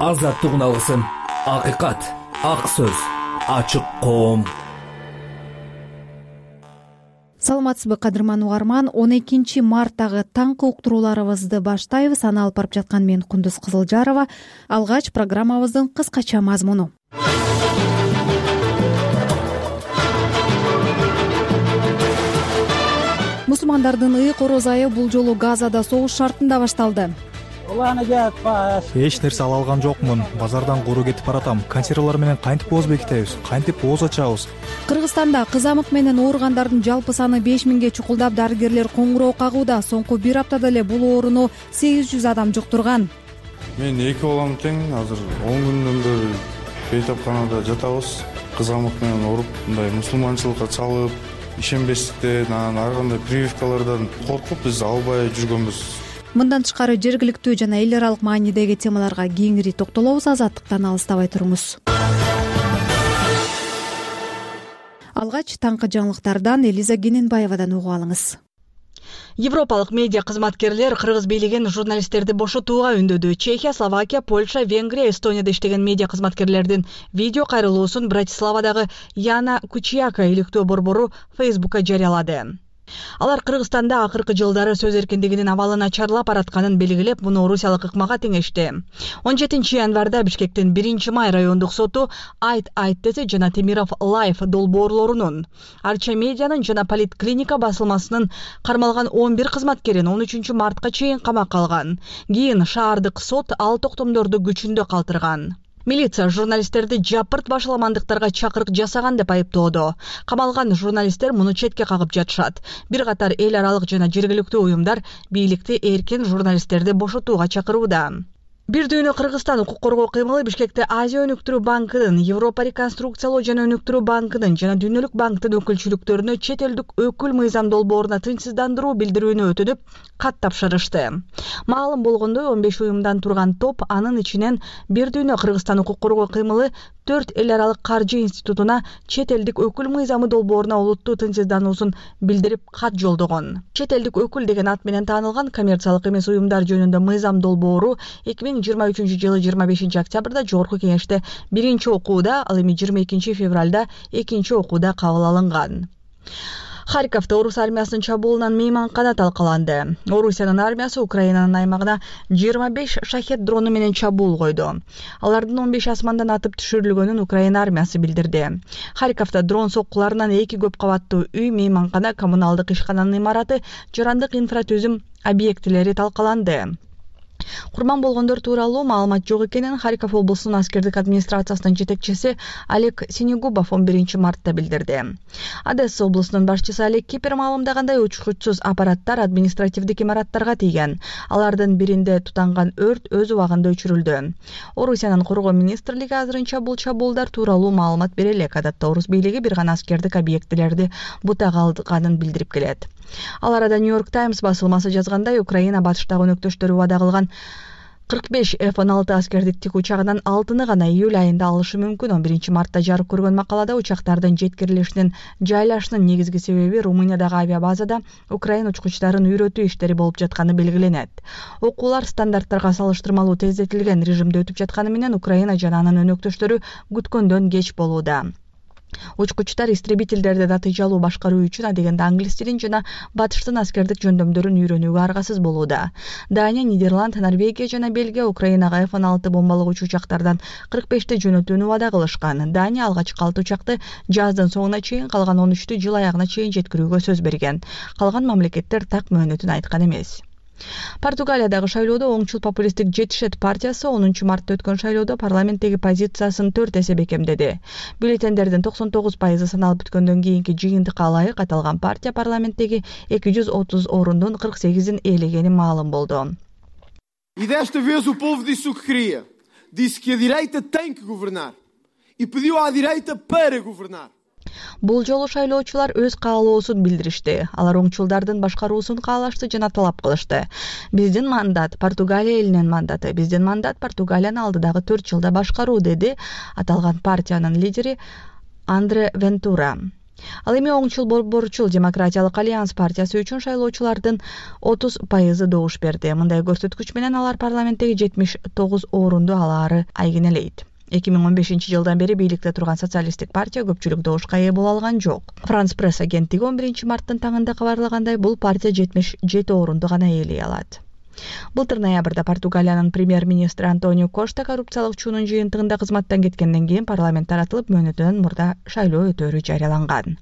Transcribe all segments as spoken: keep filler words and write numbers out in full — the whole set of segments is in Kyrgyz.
азаттыгын алгысың. Акыйкат, ак сөз, ачык коом. Саламатсызбы кадырман угарман, он экинчи марттагы таңкы уктурууларыбызды баштайбыз. Аны алып барып жаткан мен Кундуз Кызылжарова. Алгач программабыздын кыскача мазмуну. Мусулмандардын ыйык ороз айы бул жолу Газада согуш шартында башталды. Эч нерсе ала алган жокмун. Базардан куру кетип баратам. Консервалар менен кантип ооз бекитебиз, кантип ооз ачабыз? Кыргызстанда кызамык менен ооругандардын жалпы саны беш миңге чукулдап, дарыгерлер коңгуроо кагууда. Соңку бир аптада эле бул ооруну сегиз жүз адам жуктурган. Мен эки балам тең, азыр он күндөн бери бейтапканада жатабыз. Кызамык менен ооруп, мындай мусулманчылыкка чалып, ишенбестиктен, анан ар кандай прививкалардан коркуп биз албай жүргөнбүз. Мындан тышкары жергиликтүү жана эл аралык маанидеги темаларга кеңири токтолобуз. Азаттыктан алыстабай туруңуз. Алгач таңкы жаңылыктардан Элиза Кененбаевадан угуп алыңыз. Европалык медиа кызматкерлер Кыргыз бийлигин журналисттерди бошотууга үндөдү. Чехия, Словакия, Польша, Венгрия, Эстонияда иштеген медиа кызматкерлердин видео кайрылуусун Братиславадагы Яна Кучияка иликтөө борбору Фейсбукка жарыялады. Алар Кыргызстанда акыркы жылдары сөз эркиндигинин абалы начарлап баратканын белгилеп, муну орусиялык ыкмага теңешти. он жетинчи январда Бишкектин биринчи май райондук соту Айт Айт десе жана Темиров Лайф долбоорлорунун, Арча медианын жана Политклиника басылмасынын кармалган он бир кызматкерин он үчүнчү мартка чейин камакка алган. Кийин шаардык сот ал токтомдорду күчүндө калтырган. Милиция журналисттерди жапырт башаламандыктарга чакырык жасаган деп айыптоодо. Камалган журналисттер муну четке кагып жатышат. Бир катар эл аралык жана жергиликтүү уюмдар бийликти эркин журналисттерди бошотууга чакырууда. Бир дүйнө Кыргызстан укук коргоо кыймылы Бишкекте Азия өнүктүрүү банкынын, Европа реконструкциялоо жана өнүктүрүү банкынын жана Дүйнөлүк банктын өкүлчүлүктөрүнө чет элдик өкүл мыйзам долбооруна тынчсыздандыруу билдирүүнү өтүнүп, кат тапшырышты. Маалым болгондой, он беш уюмдан турган топ, анын ичинен Бир дүйнө Кыргызстан укук коргоо кыймылы төрт эл аралык каржы институтуна чет элдик өкүл мыйзамы долбооруна олуттуу тынчсыздануусун билдирип кат жолдогон. Чет элдик өкүл деген ат менен таанылган коммерциялык эмес уюмдар жөнүндө мыйзам долбоору эки миң жыйырма үчүнчү жылы жыйырма бешинчи октябрда Жогорку Кеңеште биринчи окууда, ал эми жыйырма экинчи февралда экинчи окууда кабыл алынган. Харьковто орус армиясынын чабуулунан мейманкана талкаланды. Орусиянын армиясы Украинанын аймагына жыйырма беш шахет дрону менен чабуул койду. Алардын он беш асмандан атып түшүрүлгөнүн Украина армиясы билдирди. Харьковто дрон соккуларынан эки көп кабаттуу үй, мейманкана, коммуналдык ишкананын имараты, жарандык инфратүзүм объектилери талкаланды. Курман болгондор тууралуу маалымат жок экенин Харьков облусунун аскердик администрациясынын жетекчиси Олег Синегубов он биринчи мартта билдирди. Одесса облусунун башчысы Олег Кипер маалымдагандай, учкучсуз аппараттар административдик имараттарга тийген. Алардын биринде тутанган өрт өз убагында өчүрүлдү. Орусиянын коргоо министрлиги азырынча бул чабуулдар тууралуу маалымат бере элек. Адатта орус бийлиги бир гана аскердик объектилерди бутага алганын билдирип келет. Ал арада Нью-Йорк Таймс басылмасы жазгандай, Украина батыштагы өнөктөштөрү убада кылган кырк беш эф он алты аскердик тик учагынан алтыны гана июль айында алышы мүмкүн. он биринчи мартта жарык көргөн макалада учактардын жеткирилишинин жайлашынын негизги себеби Румыниядагы авиабазада Украина учкучтарын үйрөтүү иштери болуп жатканы белгиленет. Окуулар стандарттарга салыштырмалуу тездетилген режимде өтүп жатканы менен Украина жана анын өнөктөштөрү күткөндөн кеч болууда. Учкучтар истребительдерди натыйжалуу башкаруу үчүн адегенде англис тилин жана батыштын аскердик жөндөмдөрүн үйрөнүүгө аргасыз болууда. Дания, Нидерланд, Норвегия жана Бельгия Украинага эф он алты бомбалыгычы учактардан кырк бешти жөнөтүүнү убада кылышкан. Дания алгачкы алты учакты жаздын соңуна чейин, калган он үчтү жыл аягына чейин жеткирүүгө сөз берген. Калган мамлекеттер так мөөнөтүн айткан эмес. Португалиядагы шайлоодо оңчул популисттик Жетишет партиясы онунчу мартта өткөн шайлоодо парламенттеги позициясын төрт эсе бекемдеди. Бюллетендердин токсон тогуз пайызы саналып бүткөндөн кийинки жыйынтыкка ылайык аталган партия парламенттеги эки жүз отуз орундун кырк сегизин ээлегени маалым болду. E desta vez o povo disse o que queria. Disse que a direita tem que governar. E pediu à direita para governar. Бул жолу шайлоочулар өз каалоосун билдиришти. Алар оңчулдардын башкаруусун каалашты жана талап кылышты. Биздин мандат Португалия элинин мандаты. Биздин мандат Португалияны алдыдагы төрт жылда башкаруу, деди аталган партиянын лидери Андре Вентура. Ал эми оңчул борборчул Демократиялык альянс партиясы үчүн шайлоочулардын отуз пайызы добуш берди. Мындай көрсөткүч менен алар парламенттеги жетимиш тогуз орунду алаары айгинелейт. эки миң он бешинчи жылдан бери бийликте турган социалисттик партия көпчүлүк добушка ээ боло алган жок. Франс пресс агенттиги он биринчи марттын таңында кабарлагандай, бул партия жетимиш жети орунду гана ээлей алат. Былтыр ноябрда Португалиянын премьер-министри Антонио Кошта коррупциялык чуунун жыйынтыгында кызматтан кеткенден кийин парламент таратылып, мөөнөтүнөн мурда шайлоо өтөөрү жарыяланган.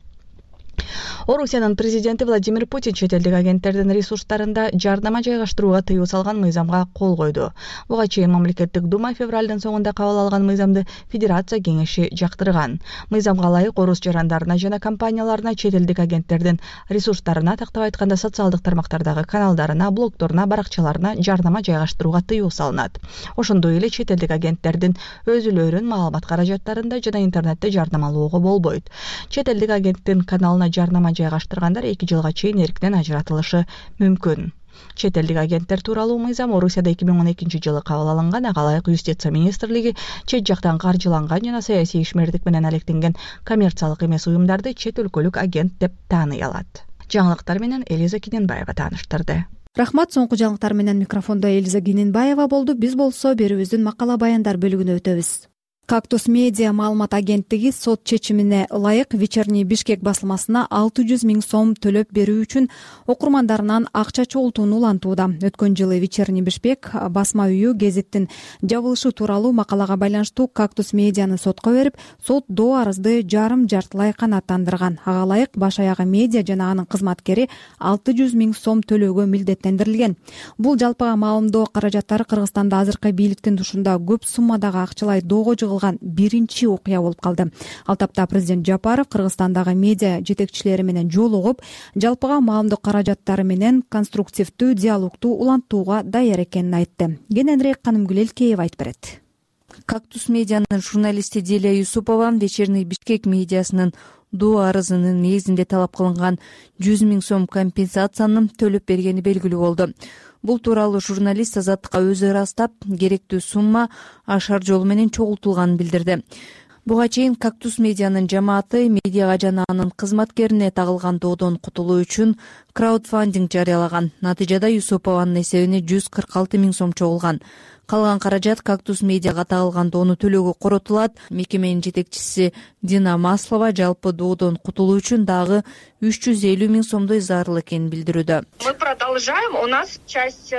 Орусиянын президенти Владимир Путин чет элдик агенттердин ресурстарында жардама жайгаштырууга тыюу салган мыйзамга кол койду. Буга чейин мамлекеттик дума февралдын соңунда кабыл алган мыйзамды Федерация кеңеши жактырган. Мыйзамга ылайык орус жарандарына жана компанияларына чет элдик агенттердин ресурстарына, тактап айтканда социалдык тармактардагы каналдарына, блогторуна, баракчаларына жардама жайгаштырууга тыюу салынат. Ошондой эле чет элдик агенттердин өзүлөрүн маалымат каражаттарында жана интернетте жардамалоого болбойт. Чет элдик агенттин каналына жарнама жайгаштыргандар эки жылга чейин эркинен ажыратылышы мүмкүн. Чет элдик агенттер тууралуу мыйзам Орусияда эки миң он экинчи жылы кабыл алынган, ага ылайык юстиция министрлиги чет жактан каржыланган жана саясий ишмердик менен алектенген коммерциялык эмес уюмдарды чет өлкөлүк агент деп тааный алат. Жаңылыктар менен Элиза Киненбаева тааныштырды. Рахмат, соңку жаңылыктар менен микрофондо Элиза Киненбаева болду. Биз болсо берүүбүздүн макала баяндар бөлүгүнө өтөбүз. Кактус медиа маалымат агенттиги сот чечимине ылайык Вечерний Бишкек басылмасына алты жүз миң сом төлөп берүү үчүн окурмандарынан акча чогултууну улантууда. Өткөн жылы Вечерний Бишкек басма үйү гезиттин жабылышы тууралуу макалага байланыштуу Кактус медианы сотко берип, сот доо арызды жарым жартылай канааттандырган. Ага ылайык баш аягы медиа жана анын кызматкери алты жүз миң сом төлөөгө милдеттендирилген. Бул жалпыга маалымдоо каражаттары Кыргызстанда азыркы бийликтин тушунда көп суммадагы акчалай доого жыгылган биринчи окуя болуп калды. Ал тапта президент Жапаров Кыргызстандагы медиа жетекчилери менен жолугуп, жалпыга маалымдоо каражаттары менен конструктивдүү диалогту улантууга даяр экенин айтты. Кененирээк Канымгүл Элкеева айтып берет. Кактус медианын журналисти Дилия Юсупова Вечерний Бишкек медиасынын доо арызынын негизинде талап кылынган жүз миң сом компенсацияны төлөп бергени белгилүү болду. Бул тууралуу журналист Азаттыкка өзү ырастап, керектүү сумма ашар жолу менен чогултулганын билдирди. Буга чейин Кактус медианын жамааты медиага жана анын кызматкерине тагылган доодон кутулуу үчүн краудфандинг жарыялаган. Натыйжада Юсупованын эсебине жүз кырк алты миң сом чогулган. Калган каражат Кактус медиага тагылган доону төлөөгө коротулат. Мекеменин жетекчиси Дина Маслова жалпы доодон кутулуу үчүн дагы үч жүз элүү миң сомдой зарыл экенин билдирүүдө. Мы продолжаем. У нас часть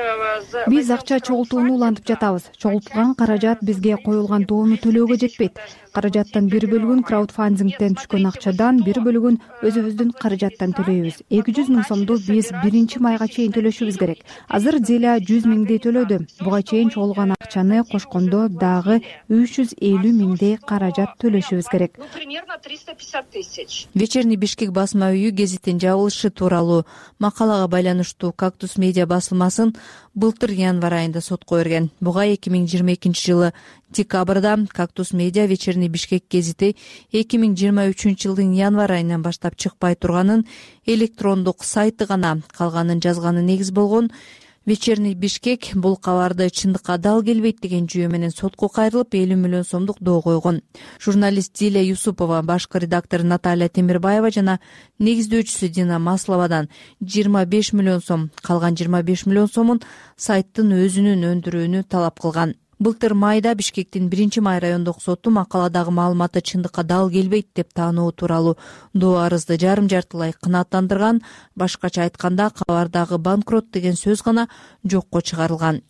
Биз акча чогултууну улантып жатабыз. Чогултулган каражат бизге коюлган доону төлөөгө жетпейт. Каражаттын бир бөлүгүн краудфандингден түшкөн акчадан, бир бөлүгүн өзүбүздүн каражаттан төлөйбүз. эки жүз миң сомду биз биринчи майга чейин төлөшүбүз керек. Азыр Зиля жүз миңдей төлөдү. Буга чейин чогулган акчаны кошкондо дагы үч жүз элүү миңдей каражат төлөшүбүз керек. Ну, примерно триста пятьдесят тысяч. Вечерний Бишкек басма үйү гезиттин жабылышы тууралуу макалага байланыштуу Кактус медиа басылмасын былтыр январь айында сотко берген. Буга эки миң жыйырма экинчи жылы декабрда Кактус медиа Вечерний Бишкек гезити эки миң жыйырма үчүнчү жылдын январь айынан баштап чыкпай турганын, электрондук сайты гана калганын жазганы негиз болгон. Вечерний Бишкек бул кабарды чындыкка дал келбейт деген жүйө менен сотко кайрылып элүү миллион сомдук доо койгон. Журналист Дилия Юсупова, башкы редактор Наталья Темирбаева жана негиздөөчүсү Дина Масловадан жыйырма беш миллион сом, калган жыйырма беш миллион сомун сайттын өзүнүн өндүрүүнү талап кылган. Былтыр майда Бишкектин биринчи май райондук соту макаладагы маалыматы чындыкка дал келбейт деп таануу тууралуу доо арызды жарым жартылай канааттандырган. Башкача айтканда, кабардагы банкрот деген сөз гана жокко чыгарылган.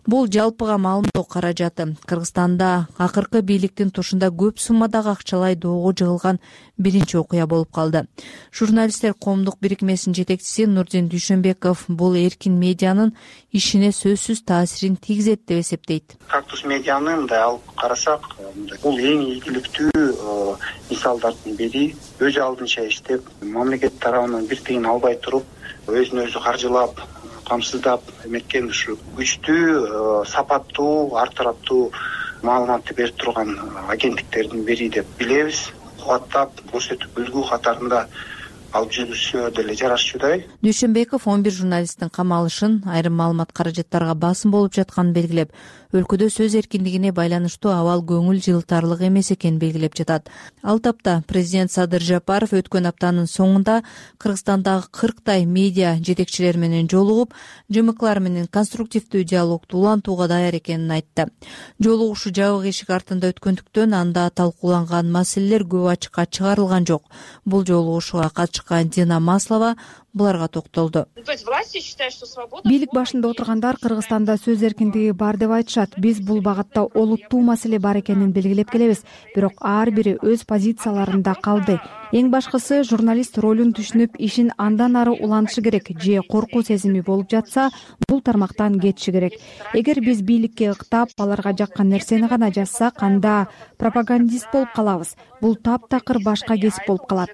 Бул жалпыга маалымдоо каражаты Кыргызстанда акыркы бийликтин тушунда көп суммадагы акчалай доого жыгылган биринчи окуя болуп калды. Журналисттер коомдук бирикмесинин жетекчиси Нурдин Дүйшөнбеков бул эркин медианын ишине сөзсүз таасирин тийгизет деп эсептейт. Кактус медианы мындай алып карасак, бул эң ийгиликтүү мисалдардын бири. Өз алдынча иштеп, мамлекет тарабынан бир тыйын албай туруп, өзүн өзү каржылап, камсыздап эметкен ушу күчтүү, сапаттуу, ар тараптуу маалыматты берип турган агенттиктердин бири деп билебиз. Кубаттап көрсөтүп үлгү катарында алып жүрүшү деле жарашчудай. Дүйшөнбеков он бир журналисттин камалышын, айрым маалымат каражаттарга басым болуп жатканын белгилеп, өлкөдө сөз эркиндигине байланыштуу абал көңүл жылтарлык эмес экенин белгилеп жатат. Ал тапта президент Садыр Жапаров өткөн аптанын соңунда Кыргызстандагы кырктай медиа жетекчилери менен жолугуп, жымыклар менен конструктивдүү диалогду улантууга даяр экенин айтты. Жолугушуу жабык эшик артында өткөндүктөн анда талкууланган маселелер көп ачыкка чыгарылган жок. Бул жолугушууга катышкан Дина Маслова буларга токтолду. Бийлик башында отургандар Кыргызстанда сөз эркиндиги бар деп айтышат. Биз бул багытта олуттуу маселе бар экенин белгилеп келебиз, бирок ар бири өз позицияларында калды. Эң башкысы журналист ролун түшүнүп, ишин андан ары улантышы керек. Же коркуу сезими болуп жатса, бул тармактан кетиши керек. Эгер биз бийликке ыктап, аларга жаккан нерсени гана жазсак, анда пропагандист болуп калабыз. Бул таптакыр башка кесип болуп калат.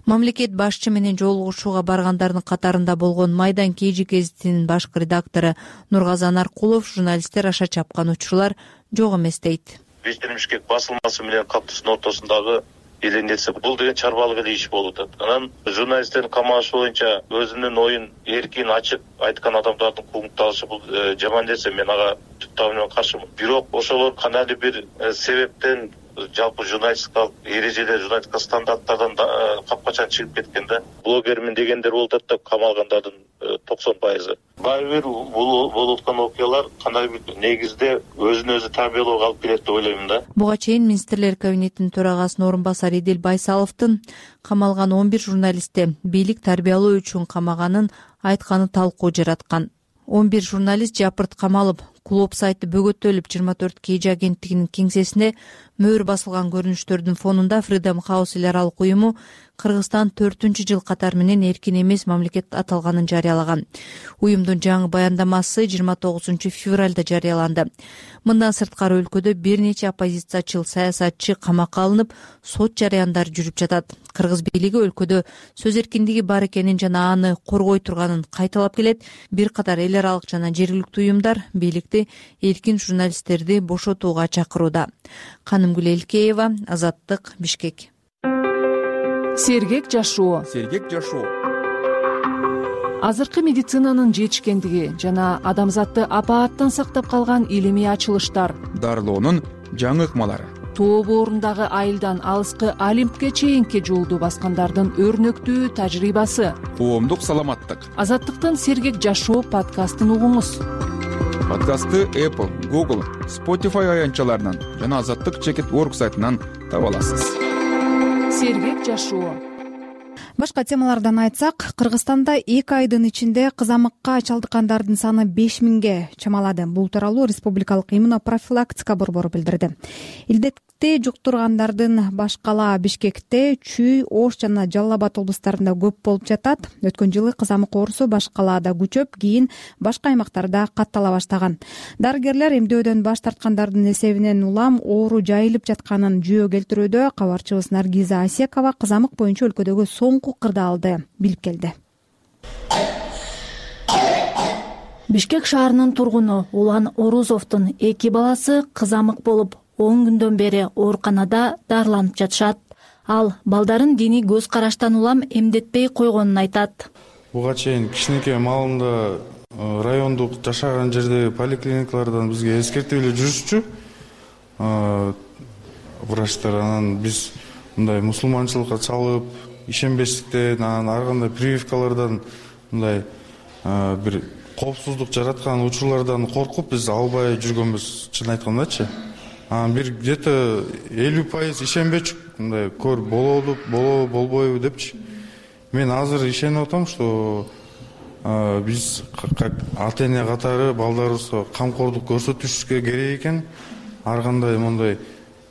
Мамлекет башчы менен жолугушууга баргандардын катарында болгон Майдан Кежи гезитинин башкы редактору Нургазан Аркулов журналисттер аша чапкан учурлар жок эмес дейт. Вечерний Бишкек басылмасы менен Кактустун ортосундагы элендетсе, бул деген чарбалык эле иш болуп атат. Анан журналисттердин камалышы боюнча өзүнүн оюн эркин ачык айткан адамдардын куугунталышы бул жаман нерсе. Мен ага түп табы каршымын. Бирок ошолор кандайдыр бир себептен жалпы журналистикалык эрежелер, журналистика стандарттардан капкачан чыгып кеткенде, блогермин дегендер болуп атат да, камалгандардын токсон пайызы. Баары бир бул болуп аткан окуялар кандайдыр бир негизде өзүн өзү тарбиялоого алып келет деп ойлоймун да. Буга чейин министрлер кабинетинин төрагасынын орун басары Идил Байсаловдун камалган он бир журналистти бийлик тарбиялоо үчүн камаганын айтканы талкуу жараткан. он бир журналист жапырт камалып, клуб сайты бөгөтөлүп, жыйырма төрт Кж агенттигинин кеңсесине мөөр басылган көрүнүштөрдүн фонунда Freedom House эл аралык уюму Кыргызстан төртүнчү жыл катары менен эркин эмес мамлекет аталганын жарыялаган. Уюмдун жаңы баяндамасы жыйырма тогузунчу февралда жарыяланды. Мындан сырткары өлкөдө бир нече оппозициячыл саясатчы камакка алынып, сот жарыяндар жүрүп жатат. Кыргыз бийлиги өлкөдө сөз эркиндиги бар экенин жана аны коргой турганын кайталап келет. Бир катар эл аралык жана жергиликтүү уюмдар бийликти эркин журналисттерди бошотууга чакырууда. Канымгүл Элкеева, Азаттык, Бишкек. Сергек жашоо. Сергек жашоо. Азыркы медицинанын жетишкендиги жана адамзатты апааттан сактап калган илимий ачылыштар. Дарылоонун жаңы ыкмалары. Тоо боорундагы айылдан алыскы Олимпке чейинки жолду баскандардын өрнөктүү тажрыйбасы. Коомдук саламаттык. Азаттыктын Сергек жашоо подкастын угуңуз. Подкастты Apple, Google, Spotify аянтчаларынан жана Азаттык чекит точка орг сайтынан таба аласыз. Сергек жашоо. Башка темалардан айтсак, Кыргызстанда эки айдын ичинде кызамыкка чалдыккандардын саны беш миңге чамалады. Бул тууралуу Республикалык иммунопрофилактика борбору билдирди. Илдетти жуктургандардын Башкала, Бишкекте, Чүй, Ош жана Жалал Абад облустарында көп болуп жатат. Өткөн жылы кызамык оорусу Башкалаада күчөп, кийин башка аймактарда каттала баштаган. Дарыгерлер эмдөөдөн баш тарткандардын эсебинен улам оору жайылып жатканын жүйө келтирүүдө. Кабарчыбыз Наргиза Асекова кызамык боюнча өлкөдөгү соңку кырдаалды билип келди. Бишкек шаарынын тургуну Улан Орузовдун эки баласы кызамык болуп, он күндөн бери ооруканада дарыланып жатышат. Ал балдарын диний көз караштан улам эмдетпей койгонун айтат. Буга чейин кичинекей маалында райондук жашаган жердеги поликлиникалардан бизге эскертип эле жүрүшчү врачтар. Анан биз мындай мусулманчылыкка чалып, ишенбестиктен, анан ар кандай прививкалардан мындай бир коопсуздук жараткан учурлардан коркуп биз албай жүргөнбүз, чын айткандачы. Анан бир где-то элүү пайыз ишенбечүк, мындай көр болобу, болобу, болбойбу депчи. Мен азыр ишенип атам, что биз как ата эне катары балдарыбызга камкордук көрсөтүшүбүз керек экен. Ар кандай мындай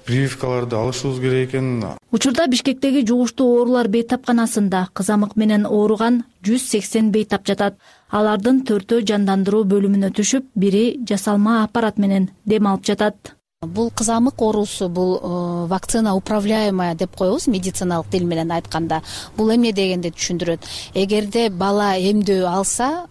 прививкаларды алышыбыз керек экен. Учурда Бишкектеги жугуштуу оорулар бейтапканасында кызамык менен ооруган жүз сексен бейтап жатат. Алардын төртөө жандандыруу бөлүмүнө түшүп, бири жасалма аппарат менен дем алып жатат. Бул кызамык оорусу, бул вакцина управляемая деп коебуз медициналык тил менен айтканда. Бул эмне дегенди түшүндүрөт. Эгерде бала эмдөө алса,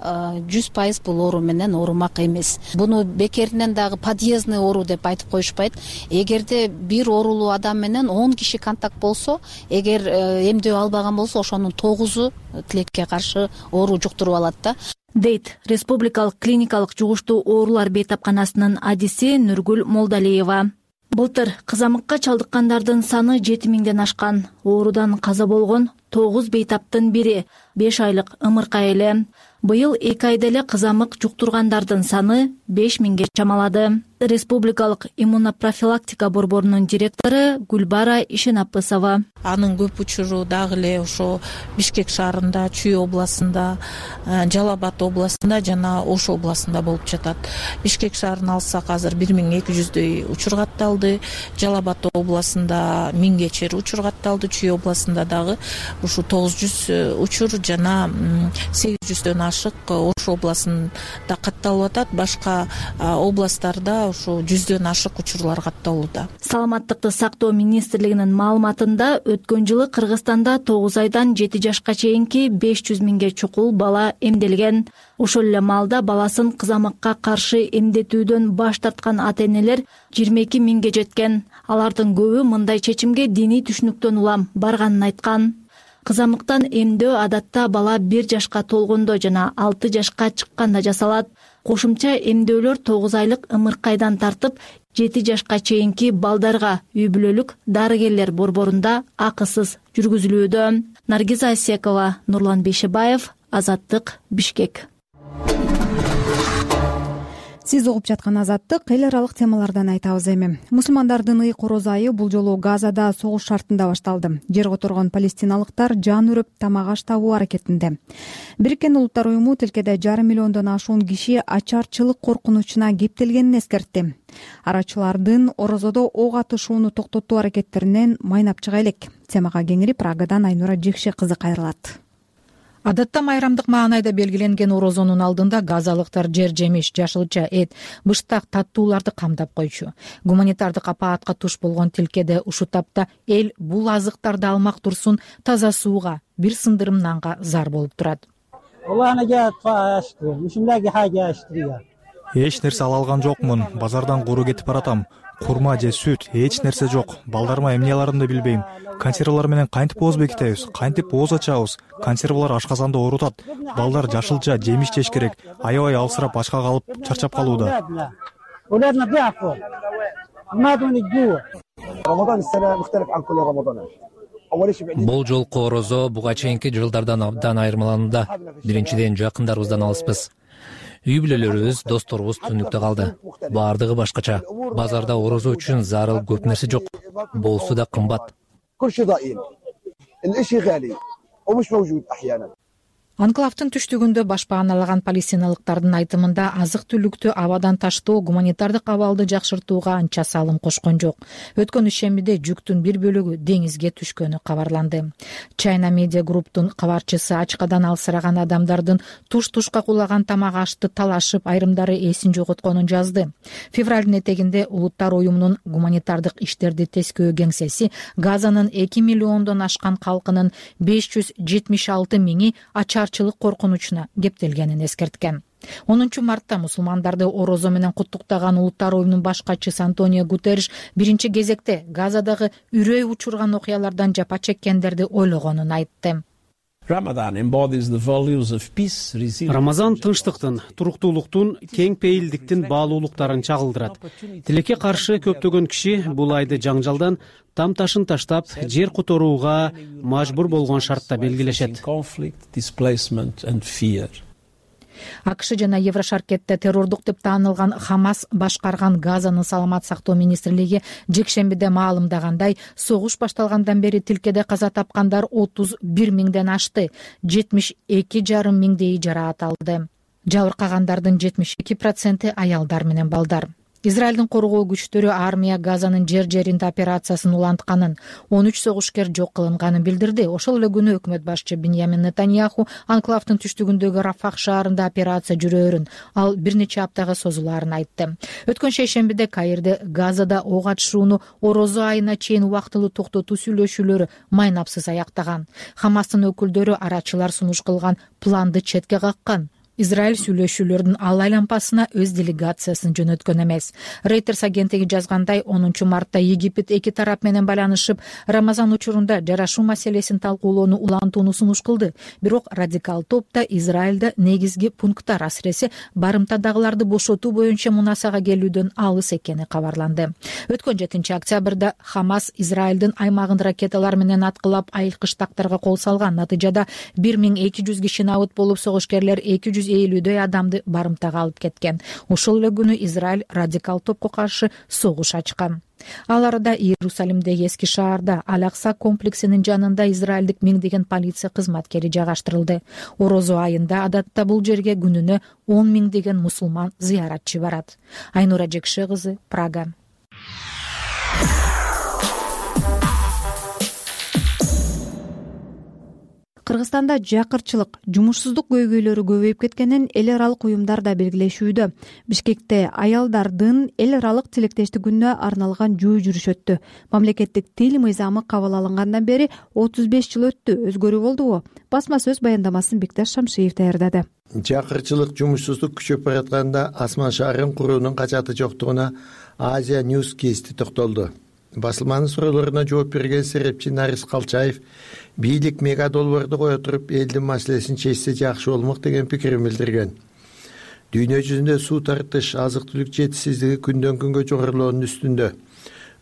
жүз пайыз бул оору менен оорумак эмес. Буну бекеринен дагы подъездный оору деп айтып коюшпайт. Эгерде бир оорулуу адам менен он киши контакт болсо, эгер эмдөө албаган болсо, ошонун тогузу тилекке каршы оору жуктуруп алат да. Дейт Республикалык клиникалык жугуштуу оорулар бейтапканасынын адиси Нургүл Молдалиева. Былтыр кызамыкка чалдыккандардын саны жети миңден ашкан. Оорудан каза болгон тогуз бейтаптын бири беш айлык ымыркай эле. Быйыл эки айда эле кызамык жуктургандардын саны беш миңге чамалады. Республикалык иммунопрофилактика борборунун директору Гүлбара Ишенапысова. Анын көп учуру дагы эле ошо Бишкек шаарында, Чүй областында, Жалал Абад областында жана Ош областында болуп жатат. Бишкек шаарын алсак азыр бир миң эки жүздөй учур катталды. Жалал Абад областында миңге чейин учур катталды. Чүй областында дагы ушу тогуз жүз учур жана сегиз жүздөн ашык Ош областында катталып атат. Башка областтарда ушу жүздөн ашык учурлар катталууда. Саламаттыкты сактоо министрлигинин маалыматында өткөн жылы Кыргызстанда тогуз айдан жети жашка чейинки беш жүз миңге чукул бала эмделген. Ошол эле маалда баласын кызамыкка каршы эмдетүүдөн баш тарткан ата-энелер жыйырма эки миңге жеткен. Алардын көбү мындай чечимге диний түшүнүктөн улам барганын айткан. Кызамыктан эмдөө адатта бала бир жашка толгондо жана алты жашка чыкканда жасалат. Кошумча эмдөөлөр тогуз айлык ымыркайдан тартып жети жашка чейинки балдарга үй бүлөлүк дарыгерлер борборунда акысыз жүргүзүлүүдө. Наргиза Асекова, Нурлан Бейшебаев, Азаттык, Бишкек. Сиз угуп жаткан Азаттык, эл аралык темалардан айтабыз эми. Мусулмандардын ыйык ороз айы бул жолу Газада согуш шартында башталды. Жер которгон палестиналыктар жан үрүп тамак аш табуу аракетинде. Бириккен Улуттар уюму тилкеде жарым миллиондон ашуун киши ачарчылык коркунучуна кептелгенин эскертти. Арачылардын орозодо ок атышууну токтотуу аракеттеринен майнап чыга элек. Темага кеңири Прагадан Айнура Жекше кызы кайрылат. Адатта майрамдык маанайда белгиленген орозонун алдында газалыктар жер жемиш, жашылча эт, быштак таттууларды камдап койчу. Гуманитардык апаатка туш болгон тилкеде ушул тапта эл бул азыктарды алмак турсун таза сууга, бир сындырым нанга зар болуп турат. Эч нерсе ала алган жокмун. Базардан куру кетип баратам. Курма же сүт, эч нерсе жок. Балдарыма эмне аларымды билбейм. Консервалар менен кантип ооз бекитебиз, кантип ооз ачабыз. Консервалар ашказанды оорутат. Балдар жашылча, жемиш жеш керек. Аябай алсырап ачка калып, чарчап калууда. Бул жолку орозо буга чейинки жылдардан абдан айырмаланууда. Биринчиден, жакындарыбыздан алыспыз. Үй бүлөлөрүбүз, досторубуз түнүктө калды. Баардыгы башкача. Базарда орозо үчүн зарыл көп нерсе жок. Болсу да кымбат. Анклавдын түштүгүндө баш пааналаган палестиналыктардын айтымында азык түлүктү абадан таштоо гуманитардык абалды жакшыртууга анча салым кошкон жок. Өткөн ишембиде жүктүн бир бөлүгү деңизге түшкөнү кабарланды. China Media Group'тун кабарчысы ачкадан алсыраган адамдардын туш-тушка кулаган тамак ашты талашып, айрымдары эсин жоготконун жазды. Февралдын этегинде Улуттар уюмунун гуманитардык иштерди тескөө кеңсеси Газанын эки миллиондон ашкан калкынын беш жүз жетимиш алты миңи ачарчылык коркунучуна кептелгенин эскерткен. онунчу мартта мусулмандарды орозо менен куттуктаган Улуттар уюмунун баш катчысы Антонио Гутерриш биринчи кезекте Газадагы үрөй учурган окуялардан жапа чеккендерди ойлогонун айтты. Рамазан тынчтыктын, туруктуулуктун, кең пейилдиктин баалуулуктарын чагылдырат. Тилекке каршы көптөгөн киши бул айды жаңжалдан там ташын таштап, жер которууга мажбур болгон шартта белгилешет. АКШ жана Еврошаркетте террордук деп таанылган Хамас башкарган Газанын саламат сактоо министрлиги жекшембиде маалымдагандай, согуш башталгандан бери тилкеде каза тапкандар отуз бир миңден ашты, жетимиш эки жарым миңдейи жараат алды. Жабыркагандардын жетимиш эки проценти аялдар менен балдар. Израилдин коргоо күчтөрү армия Газанын жер жеринде операциясын улантканын, он үч согушкер жок кылынганын билдирди. Ошол эле күнү өкмөт башчы Биньямин Нетаньяху анклавдын түштүгүндөгү Рафах шаарында операция жүрөөрүн, ал бир нече аптага созулаарын айтты. Өткөн шейшембиде Каирде Газада ок атышууну орозо айына чейин убактылуу токтотуу сүйлөшүүлөрү майнапсыз аяктаган. Хамастын өкүлдөрү арачылар сунуш кылган планды четке каккан. Израиль сүйлөшүүлөрдүн ал аймпасына өз делегациясын жөнөткөн эмес. Reuters агенттиги жазгандай, онунчу мартта Египет эки тарап менен байланышып, Рамазан учурунда жарашуу маселесин талкуулоону улантууну сунуш кылды. Бирок радикал топта Израилде негизги пункттар, асыресе барымтадагыларды бошотуу боюнча мунасага келүүдөн алыс экени кабарланды. Өткөн жетинчи октябрда Хамас Израилдин аймагын ракеталар менен аткылап айылкыштактарга кол салган. Натыйжада бир миң эки жүзгө набыт болуп, согушкерлер эки жүз элүүдөй адамды барымтага алып кеткен. Ошол эле күнү Израиль радикал топко каршы согуш ачкан. Ал арада Иерусалимдеги эски шаарда Ал-Акса комплексинин жанында израилдик миңдеген полиция кызматкери жайгаштырылды. Орозо айында адатта бул жерге күнүнө он миңдеген мусулман зыяратчы барат. Айнура Жекше кызы, Прага. Кыргызстанда жакырчылык, жумушсуздук көйгөйлөрү көбөйүп кеткенин эл аралык уюмдар да белгилешүүдө. Бишкекте аялдардын эл аралык тилектештик күнүнө арналган жөө жүрүш өттү. Мамлекеттик тил мыйзамы кабыл алынгандан бери отуз беш жыл өттү. Өзгөрүү болдубу? Басма сөз баяндамасын Бекташ Шамшиев даярдады. Жакырчылык, жумушсуздук күчөп баратканда Асман шаарын курууунун качаты жоктугуна Азия News кести токтолду. Басылманын суроолоруна жооп берген серепчи Нарис Калчаев бийлик мегадолборду кое туруп элдин маселесин чечсе жакшы болмок деген пикирин билдирген. Дүйнө жүзүндө суу тартыш, азык-түлүк жетишсиздиги күндөн күнгө жогорулоонун үстүндө.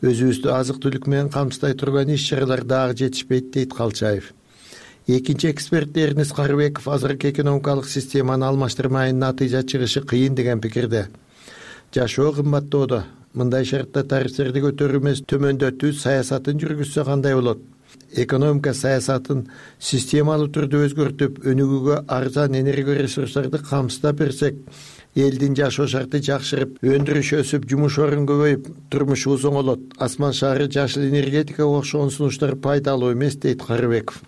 Өзүбүздү азык-түлүк менен камсыздай турган иш-чаралар дагы жетишпейт, дейт Калчаев. Экинчи эксперт Эрнис Карыбеков азыркы экономикалык системаны алмаштырмайын натыйжа чыгышы кыйын деген пикирде. Жашоо кымбаттоодо. Мындай шартта тарифтерди көтөрүү эмес, төмөндөтүү саясатын жүргүзсө кандай болот? Экономика саясатын системалуу түрдө өзгөртүп, өнүгүүгө арзан энергия ресурстарды камсыздап берсек, элдин жашоо шарты жакшырып, өндүрүш өсүп, жумуш орун көбөйүп, турмушу оңолот. Асман шаары жашыл энергетикага окшогон сунуштар пайдалуу эмес, дейт Карыбеков.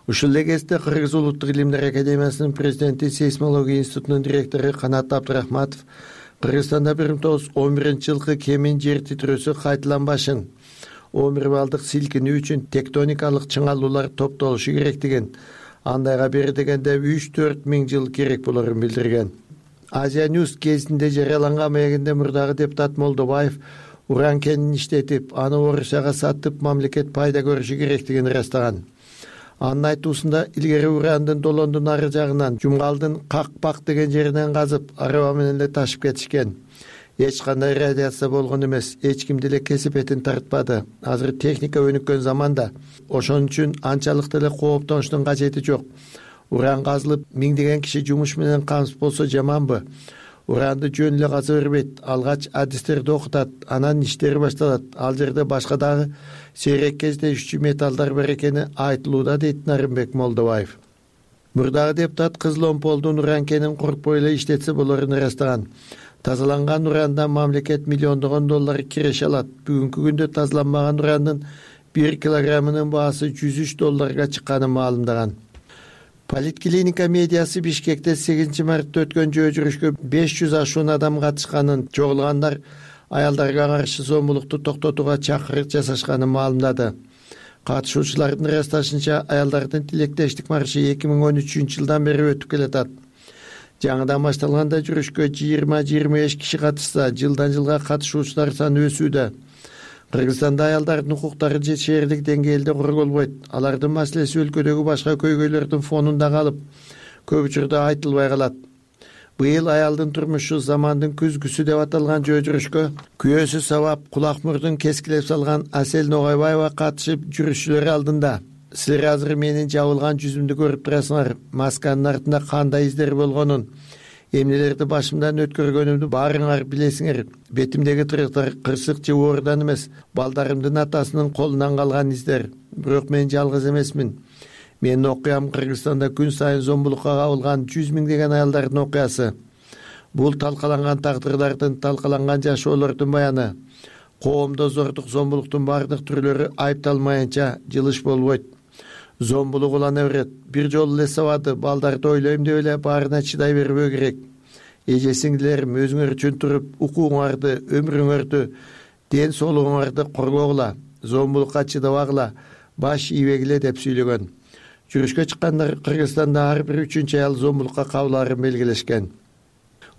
Ушул эле кезде Кыргыз Улуттук илимдер академиясынын президенти, сейсмология институтунун директору Канат Абдрахматов Кыргызстанда бир миң тогуз жүз он биринчи жылкы кемин жер титирөөсү кайталанбашын, он бир балдык силкинүү үчүн тектоникалык чыңалуулар топтолушу керектигин, андайга бери дегенде үч төрт миң жыл керек болорун билдирген. Азия News кезинде жарыяланган маегинде мурдагы депутат Молдобаев уран кенин иштетип, аны Орусияга сатып, мамлекет пайда көрүшү керектигин ырастаган. Анын айтуусунда илгери урандын долондун ары жагынан, Жумгалдын Какпак деген жеринен казып, араба менен эле ташып кетишкен. Эч кандай радиация болгон эмес, эч ким деле кесип этин тартпады. Азыр техника өнүккөн заманда, ошон үчүн анчалык деле кооптонуштун кажети жок. Уран казылып, миңдеген киши жумуш менен камсыз болсо жаманбы? Уранды жөн эле каза бербейт, алгач адистерди окутат, анан иштери башталат. Ал жерде башка дагы сейрек кездешүүчү металлдар бар экени айтылууда, дейт Нарымбек Молдобаев. Мурдагы депутат Кызыл Омполдун уран кенин коркпой эле иштетсе болорун ырастаган. Тазаланган урандан мамлекет миллиондогон доллар киреше алат. Бүгүнкү күндө тазаланмаган урандын бир килограммынын баасы жүз үч долларга чыкканын маалымдаган. Политклиника медиасы Бишкекте сегизинчи мартта өткөн жөө жүрүшкө беш жүз ашуун адам катышканын, чогулгандар аялдарга каршы зомбулукту токтотууга чакырык жасашканын маалымдады. Катышуучулардын ырасташынча, аялдардын тилектештик маршы эки миң он үчүнчү жылдан бери өтүп келатат. Жаңыдан башталганда жүрүшкө жыйырма жыйырма беш киши катышса, жылдан жылга катышуучулар саны өсүүдө. Кыргызстанда аялдардын укуктары шээрлик деңгээлде корголбойт. Алардын маселеси өлкөдөгү башка көйгөйлөрдүн фонунда калып, көп учурда айтылбай калат. Быйыл аялдын турмушу замандын күзгүсү деп аталган жөө жүрүшкө күйөөсү сабап, кулак мурдун кескилеп салган Асель Ногайбаева катышып, жүрүшчүлөр алдында. Силер азыр менин жабылган жүзүмдү көрүп турасыңар. Масканын артында кандай издер болгонун, эмнелерди башымдан өткөргөнүмдү баарыңар билесиңер. Бетимдеги тырыктар кырсык же оорудан эмес, балдарымдын атасынын колунан калган издер. Бирок мен жалгыз эмесмин. Менин окуям Кыргызстанда күн сайын зомбулукка кабылган жүз миңдеген аялдардын окуясы. бул талкаланган тагдырлардын, талкаланган жашоолордун баяны. Коомдо зордук, зомбулуктун бардык түрлөрү айыпталмайынча жылыш болбойт. Зомбулук улана берет. Бир жолу эле сабады, балдарды ойлойм деп эле баарына чыдай бербөө керек. Эже сиңдилерим, өзүңөр үчүн туруп, укуңарды, өмүрүңөрдү, ден соолугуңарды коргогула, зомбулукка чыдабагыла, баш ийбегиле деп сүйлөгөн. Жүрүшкө чыккандар Кыргызстанда ар бир үчүнчү аял зомбулукка кабылаарын белгилешкен.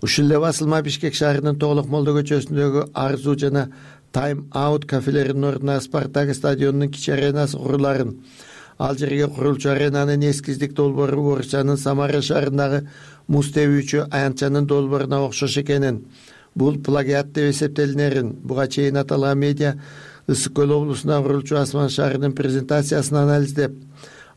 Ушул эле басылма Бишкек шаарынын Тоголок Молдо көчөсүндөгү Арзу жана Time Out кафелеринин ордуна Спартак стадионунун кичи аренасы куруларын, ал жерге курулчу аренанын эскиздик долбоору Орусиянын Самара шаарындагы муз тебүүчү аянтчанын долбооруна окшош экенин, бул плагиат деп эсептелинерин буга чейин аталган медиа Ысык Көл облусунда курулчу Асман шаарынын презентациясын анализдеп,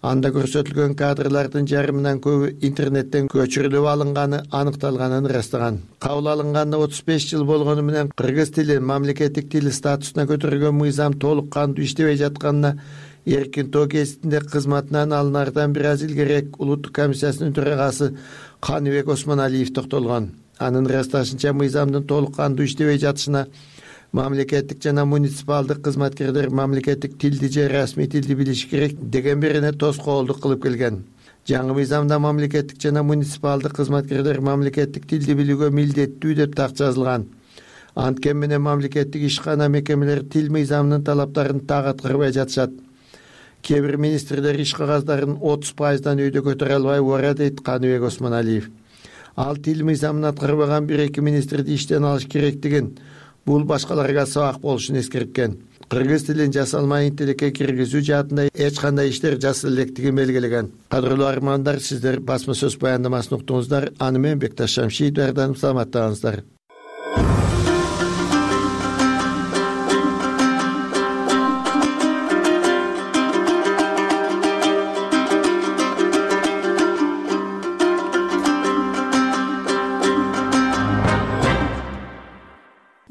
анда көрсөтүлгөн кадрлардын жарымынан көбү интернеттен көчүрүлүп алынганы аныкталганын ырастаган. Кабыл алынганына отуз беш жыл болгону менен кыргыз тилин мамлекеттик тил статусуна көтөргөн мыйзам толук кандуу иштебей жатканына Эркин Тоо гезитинде кызматынан алынардан бир аз илгерээк Улуттук комиссиясынын төрагасы Каныбек Осмоналиев токтолгон. Анын ырасташынча, мыйзамдын толук кандуу иштебей жатышына мамлекеттик жана муниципалдык кызматкерлер мамлекеттик тилди же расмий тилди билиши керек деген бирине тоскоолдук кылып келген. Жаңы мыйзамда мамлекеттик жана муниципалдык кызматкерлер мамлекеттик тилди билүүгө милдеттүү деп так жазылган. Анткени менен мамлекеттик ишкана мекемелери тил мыйзамынын талаптарын так аткарбай жатышат. Кээ бир министрлер иш кагаздарын отуз пайыздан өйдө көтөрө албай убара, дейт Каныбек Осмоналиев. Ал тил мыйзамын аткарбаган бир эки министрди иштен алыш керектигин, бул башкаларга сабак болушун эскерткен. Кыргыз тилин жасалма интеллекке киргизүү жаатында эч кандай иштер жасала электигин белгилеген. Кадырлуу армандар, сиздер басма сөз баяндамасын уктуңуздар. Аны менен Бекташ Шамшиев даярданып, саламаттаңыздар.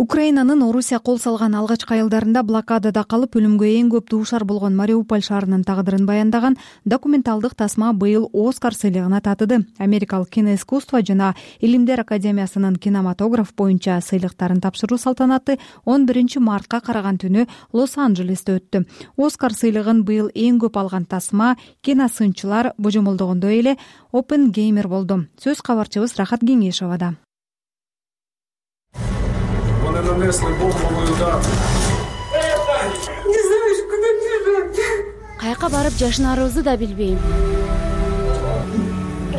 Украинанын Орусия кол салган алгачкы айылдарында блокадада калып өлүмгө эң көп дуушар болгон Мариуполь шаарынын тагдырын баяндаган документалдык тасма быйыл Оскар сыйлыгына татыды. Америкалык киноискусство жана Илимдер академиясынын кинематограф боюнча сыйлыктарын тапшыруу салтанаты он биринчи мартка караган түнү Лос-Анджелесте өттү. Оскар сыйлыгын быйыл эң көп алган тасма киносынчылар божомолдогондой эле Оппенгеймер болду. Сөз кабарчыбыз Рахат Кеңешовада. Нанесли бомбовый удар. Не знаешь, куда бежать. Каяка барып жашынарыбызды да билбейм.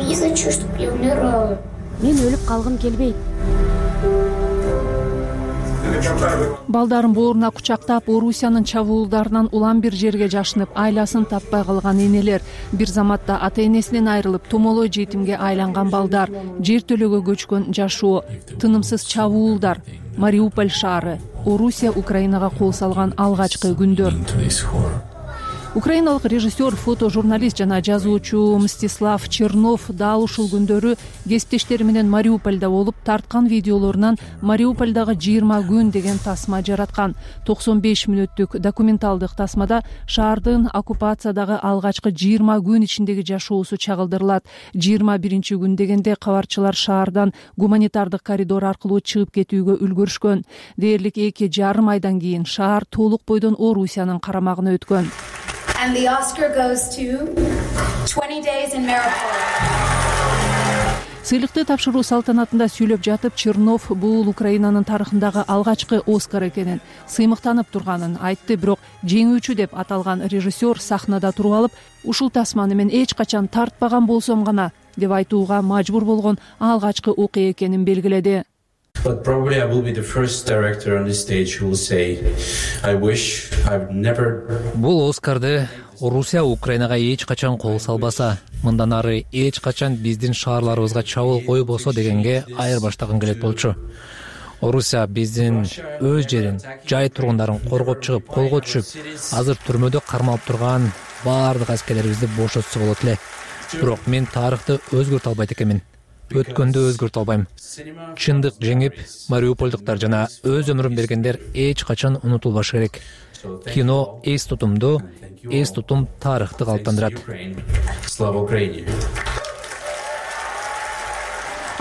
Не хочу, чтобы я умирала. Мен өлүп калгым келбейт. Балдарын бооруна кучактап, Орусиянын чабуулдарынан улам бир жерге жашынып, айласын таппай калган энелер, бир заматта ата-энесинен айрылып, томолой жетимге айланган балдар, жертөлөгө көчкөн жашоо, тынымсыз чабуулдар, Мариуполь шаары, Орусия Украинага кол салган алгачкы күндөр. Украиналык режиссер, фотожурналист жана жазуучу Мстислав Чернов дал ушул күндөрү кесиптештери менен Мариупольдо болуп, тарткан видеолорунан Мариупольдогу жыйырма күн деген тасма жараткан. токсон беш мүнөттүк документалдык тасмада шаардын оккупациядагы алгачкы жыйырма күн ичиндеги жашоосу чагылдырылат. жыйырма биринчи күн дегенде кабарчылар шаардан гуманитардык коридор аркылуу чыгып кетүүгө үлгүрүшкөн. Дээрлик эки жарым айдан кийин шаар толук бойдон Орусиянын карамагына өткөн. And the Oscar goes to twenty days in Mariupol. Сыйлыкты тапшыруу салтанатында сүйлөп жатып, Чернов бул Украинанын тарыхындагы алгачкы Оскар экенин, сыймыктанып турганын айтты. Бирок жеңүүчү деп аталган режиссер сахнада туруп алып, ушул тасманы мен эч качан тартпаган болсом гана деп айтууга мажбур болгон алгачкы окуя экенин белгиледи. But probably I will be the first director on this stage who will say, I wish I've never... Бул Оскарды Орусия Украинага эч качан кол салбаса, мындан ары эч качан биздин шаарларыбызга чабуул койбосо дегенге айырбаштагым келет болчу. Орусия биздин өз жерин, жай тургундарын коргоп чыгып, колго түшүп, азыр түрмөдө кармалып турган баардык аскерлерибизди бошотсо болот эле. Бирок мен тарыхты өзгөртө албайт экенмин. Өткөндө өзгөртө албайм. Чындык жеңип, мариупольдуктар жана өз өмүрүн бергендер эч качан унутулбашы керек. Кино эс тутумду, эс тутум тарыхты калыптандырат. Слава Украине!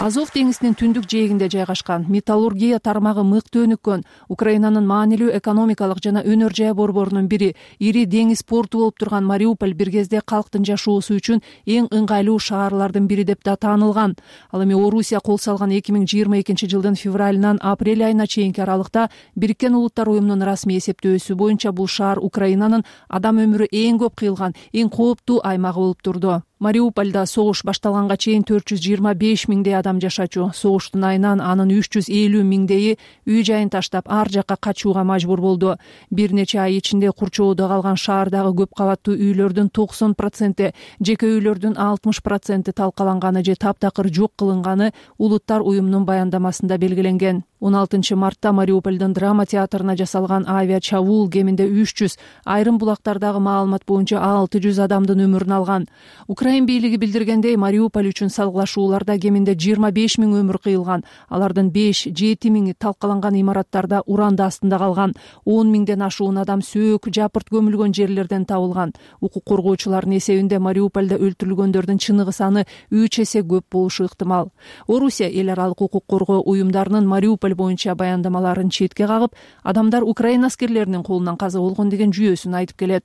Азов деңизинин түндүк жээгинде жайгашкан металлургия тармагы мыкты өнүккөн Украинанын маанилүү экономикалык жана өнөр жай борборунун бири, ири деңиз порту болуп турган Мариуполь бир кезде калктын жашоосу үчүн эң ыңгайлуу шаарлардын бири деп да таанылган. Ал эми Орусия кол салган эки миң жыйырма экинчи жылдын февралынан апрель айына чейинки аралыкта Бириккен Улуттар уюмунун расмий эсептөөсү боюнча бул шаар Украинанын адам өмүрү эң көп кыйылган, эң кооптуу аймагы болуп турду. Мариупольдо согуш башталганга чейин төрт жүз жыйырма беш миңдей адам жашачу. Согуштун айынан анын үч жүз элүү миңдейи үй жайын таштап ар жакка качууга мажбур болду. Бир нече ай ичинде курчоодо калган шаардагы көп кабаттуу үйлөрдүн токсон проценти, жеке үйлөрдүн алтымыш проценти талкаланганы же таптакыр жок кылынганы Улуттар уюмунун баяндамасында белгиленген. он алтынчы мартта Мариупольдун драма театрына жасалган авиа чабуул кеминде үч жүз, айрым булактардагы маалымат боюнча алты жүз адамдын өмүрүн алган. Украин бийлиги билдиргендей, Мариуполь үчүн салгылашууларда кеминде жыйырма беш миң өмүр кыйылган. Алардын беш жети миңи талкаланган имараттарда уранды астында калган. он миңден ашуун адам сөөк, жапырт көмүлгөн жерлерден табылган. Укук коргоочулардын эсебинде Мариупольдо өлтүрүлгөндөрдүн чыныгы саны үч эсе көп болушу ыктымал. Орусия эл аралык укук коргоо уюмдарынын Мариуполь боюнча баяндамаларын четке кагып, адамдар Украина аскерлеринин колунан каза болгон деген жүйөсүн айтып келет.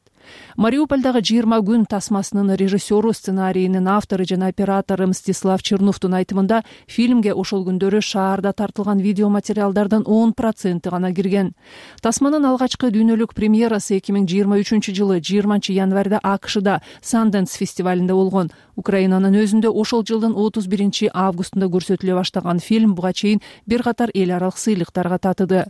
Мариупольдогу жыйырма күн тасмасынын режиссеру, сценарийинин автору жана оператору Мстислав Черновдун айтымында, фильмге ошол күндөрү шаарда тартылган видеоматериалдардын он проценти гана кирген. Тасманын алгачкы дүйнөлүк премьерасы эки миң жыйырма үчүнчү жылы жыйырманчы январда АКШда Sundance фестивалинде болгон. Украинанын өзүндө ошол жылдын отуз биринчи августунда көрсөтүлө баштаган фильм буга чейин бир катар эл аралык сыйлыктарга татыды.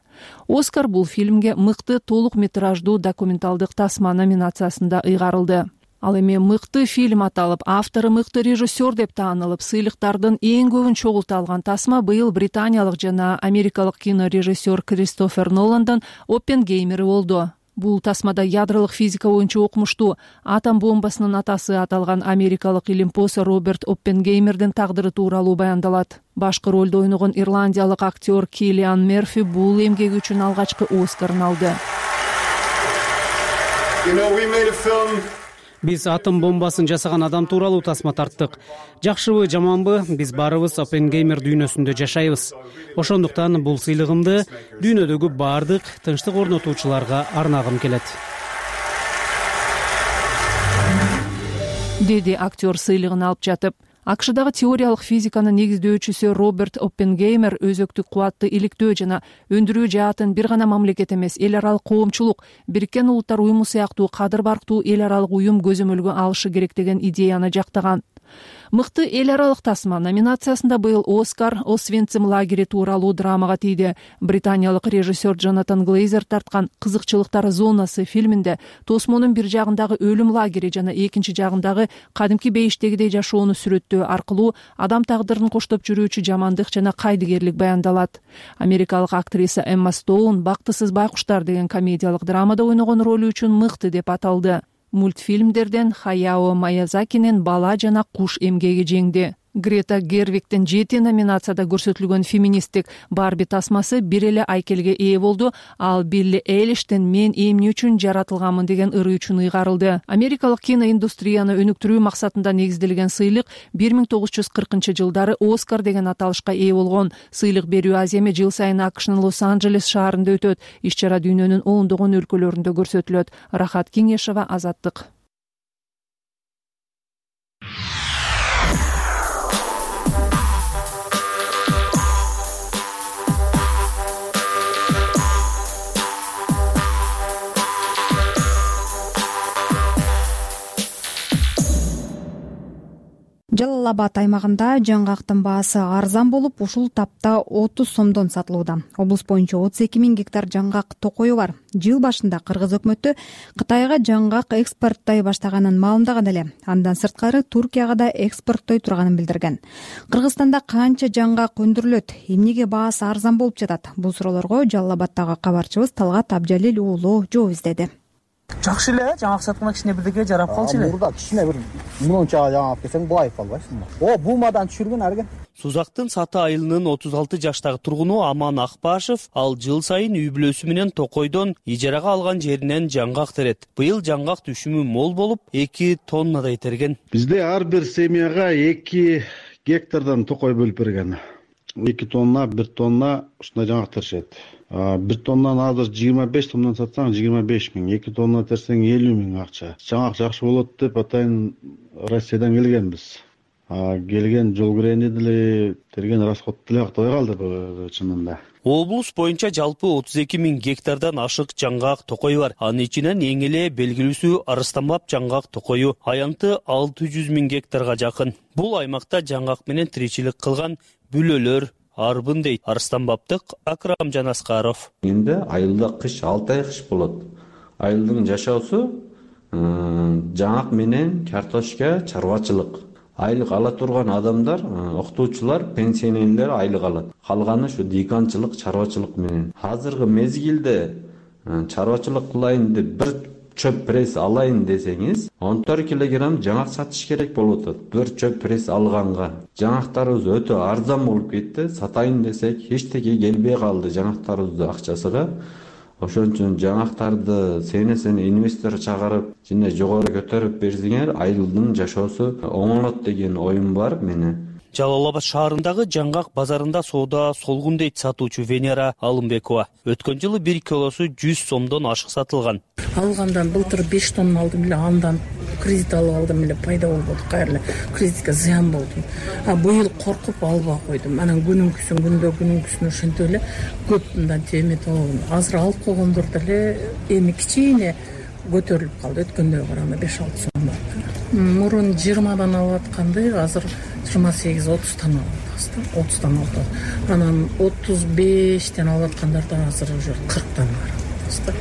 Оскар бул фильмге мыкты толук метраждуу документалдык тасма номинациясында ыйгарылды. Ал эми мыкты фильм аталып, автору мыкты режиссер деп таанылып, сыйлыктардын эң көбүн чогулта алган тасма быйыл британиялык жана америкалык кинорежиссер Кристофер Ноландын Оппенгеймери болду. Бул тасмада ядролук физика боюнча окумуштуу, атом бомбасынын атасы аталган америкалык илимпоз Роберт Оппенгеймердин тагдыры тууралуу баяндалат. Башкы ролдо ойногон ирландиялык актер Киллиан Мерфи бул эмгеги үчүн алгачкы Оскарын алды. Биз атом бомбасын жасаган адам тууралуу тасма тарттык. Жакшыбы, жаманбы, биз баарыбыз Оппенгеймер дүйнөсүндө жашайбыз. Ошондуктан бул сыйлыгымды дүйнөдөгү баардык тынчтык орнотуучуларга арнагым келет. Деди актер сыйлыгын алып жатып. АКШдагы теориялык физиканын негиздөөчүсү Роберт Оппенгеймер өзөктүк кубатты иликтөө жана өндүрүү жаатын бир гана мамлекет эмес, эл аралык коомчулук, Бириккен Улуттар уюму сыяктуу кадыр барктуу эл аралык уюм көзөмөлгө алышы керек деген идеяны жактаган. Мыкты эл аралык тасма номинациясында быйыл Оскар Освенцим лагери тууралуу драмага тийди. Британиялык режиссер Джонатан Глейзер тарткан «Кызыкчылыктар зонасы» фильминде тосмонун бир жагындагы өлүм лагери жана экинчи жагындагы кадимки бейиштегидей жашоону сүрөттөө аркылуу адам тагдырын коштоп жүрүүчү жамандык жана кайдыгерлик баяндалат. Америкалык актриса Эмма Стоун «Бактысыз байкуштар» деген комедиялык драмада ойногон ролу үчүн мыкты деп аталды. Мультфильмдерден Хаяо Маязакинин «Бала жана куш» эмгеги жеңди. Грета Гервигтин жети номинацияда көрсөтүлгөн феминисттик Барби тасмасы бир эле айкелге ээ болду, ал Билли Эйлиштин «Мен эмне үчүн жаратылганмын» деген ыры үчүн ыйгарылды. Америкалык киноиндустрияны өнүктүрүү максатында негизделген сыйлык бир миң тогуз жүз кыркынчы жылдары Оскар деген аталышка ээ болгон. Сыйлык берүү аземи жыл сайын АКШнын Лос-Анджелес шаарында өтөт. Иш-чара дүйнөнүн ондогон өлкөлөрүндө көрсөтүлөт. Рахат Кеңешова, Азаттык. Жалал Абад аймагында жаңгактын баасы арзан болуп, ушул тапта отуз сомдон сатылууда. Облус боюнча отуз эки миң гектар жаңгак токою бар. Жыл башында Кыргыз өкмөтү Кытайга жаңгак экспорттой баштаганын маалымдаган эле. Андан сырткары Туркияга да экспорттой турганын билдирген. Кыргызстанда канча жаңгак өндүрүлөт? Эмнеге баасы арзан болуп жатат? Бул суроолорго Жалал Абадтагы кабарчыбыз Талгат Абджалил уулу жооп издеди. Жакшы эле, жаңгак сатканда кичине бирдеге жарап калчу эле. Мурда кичине бир миллиончага жаңгак келсең байып калбайсың. О, бумадан түшүргөн арген. Сузактын Саты айылынын отуз алты жаштагы тургуну Аман Акбашев ал жыл сайын үй бүлөсү менен Токойдон ижарага алган жеринен жаңгак терет. Быйыл жаңгак түшүмү мол болуп, эки тоннадай терген. Бизде ар бир семьяга эки гектардан токой бөлүп берген. эки тонна, бир тонна ушундай жаңгак теришет. бир тоннаны азыр жыйырма беш сомдон сатсаң жыйырма беш миң, эки тонна терсең элүү миң акча. Жаңгак жакшы болот деп атайын Россиядан келгенбиз. Келген жол кирени деле терген расход деле актай калды чынында. Облус боюнча жалпы отуз эки миң гектардан ашык жаңгак токой бар. Анын ичинен эң эле белгилүүсү Арыстанбап жаңгак токою, аянты алты жүз миң гектарга жакын. Бул аймакта жаңгак менен тиричилик кылган бүлөлөр арбын дейт Арыстанбаптык Акрамжан Аскаров. Энди айылда кыш алты ай кыш болот. Айылдын жашоосу жаңгак менен картошка, чарбачылык. Айлык ала турган адамдар, окутуучулар, пенсионерлер айлык алат. Калганы ушу дыйканчылык, чарбачылык менен. Азыркы мезгилде чарбачылык кылайын деп бир чөп пресс алайын десеңиз, он төрт килограмм жаңгак сатыш керек болуп атат. Бир чөп пресс алганга. Жаңгактарыбыз өтө арзан болуп кетти. Сатайын десек, эчтеке келбей калды жаңгактарыбыздын акчасыга. Ошон үчүн жаңгактарды сене-сене инвестор чыгарып, жана жогору көтөрүп берсеңер, айылдын жашоосу оңолот деген оюм бар менин. Жалал Абад шаарындагы жаңгак базарында соода солгун дейт сатуучу Венера Алымбекова. Өткөн жылы бир килосу жүз сомдон ашык сатылган. Алгандан былтыр беш тонна алдым эле, андан кредит алып алдым эле, пайда болбоду, кайра кредитке зыян болдум. А быйыл коркуп албай койдум. Анан күнүнкүсүн күндө күнүнкүсүн ошентип эле көп мындан теметип алгам. Азыр алып койгондор деле эми кичине көтөрүлүп калды. Өткөндөгө караганда беш алты сом бар. Мурун жыйырмадан алып атканды азыр жыйырма сегиз отуздан алып атабыз. отуздан алып. Анан отуз бештен алып аткандарда азыр уже кырктан бар.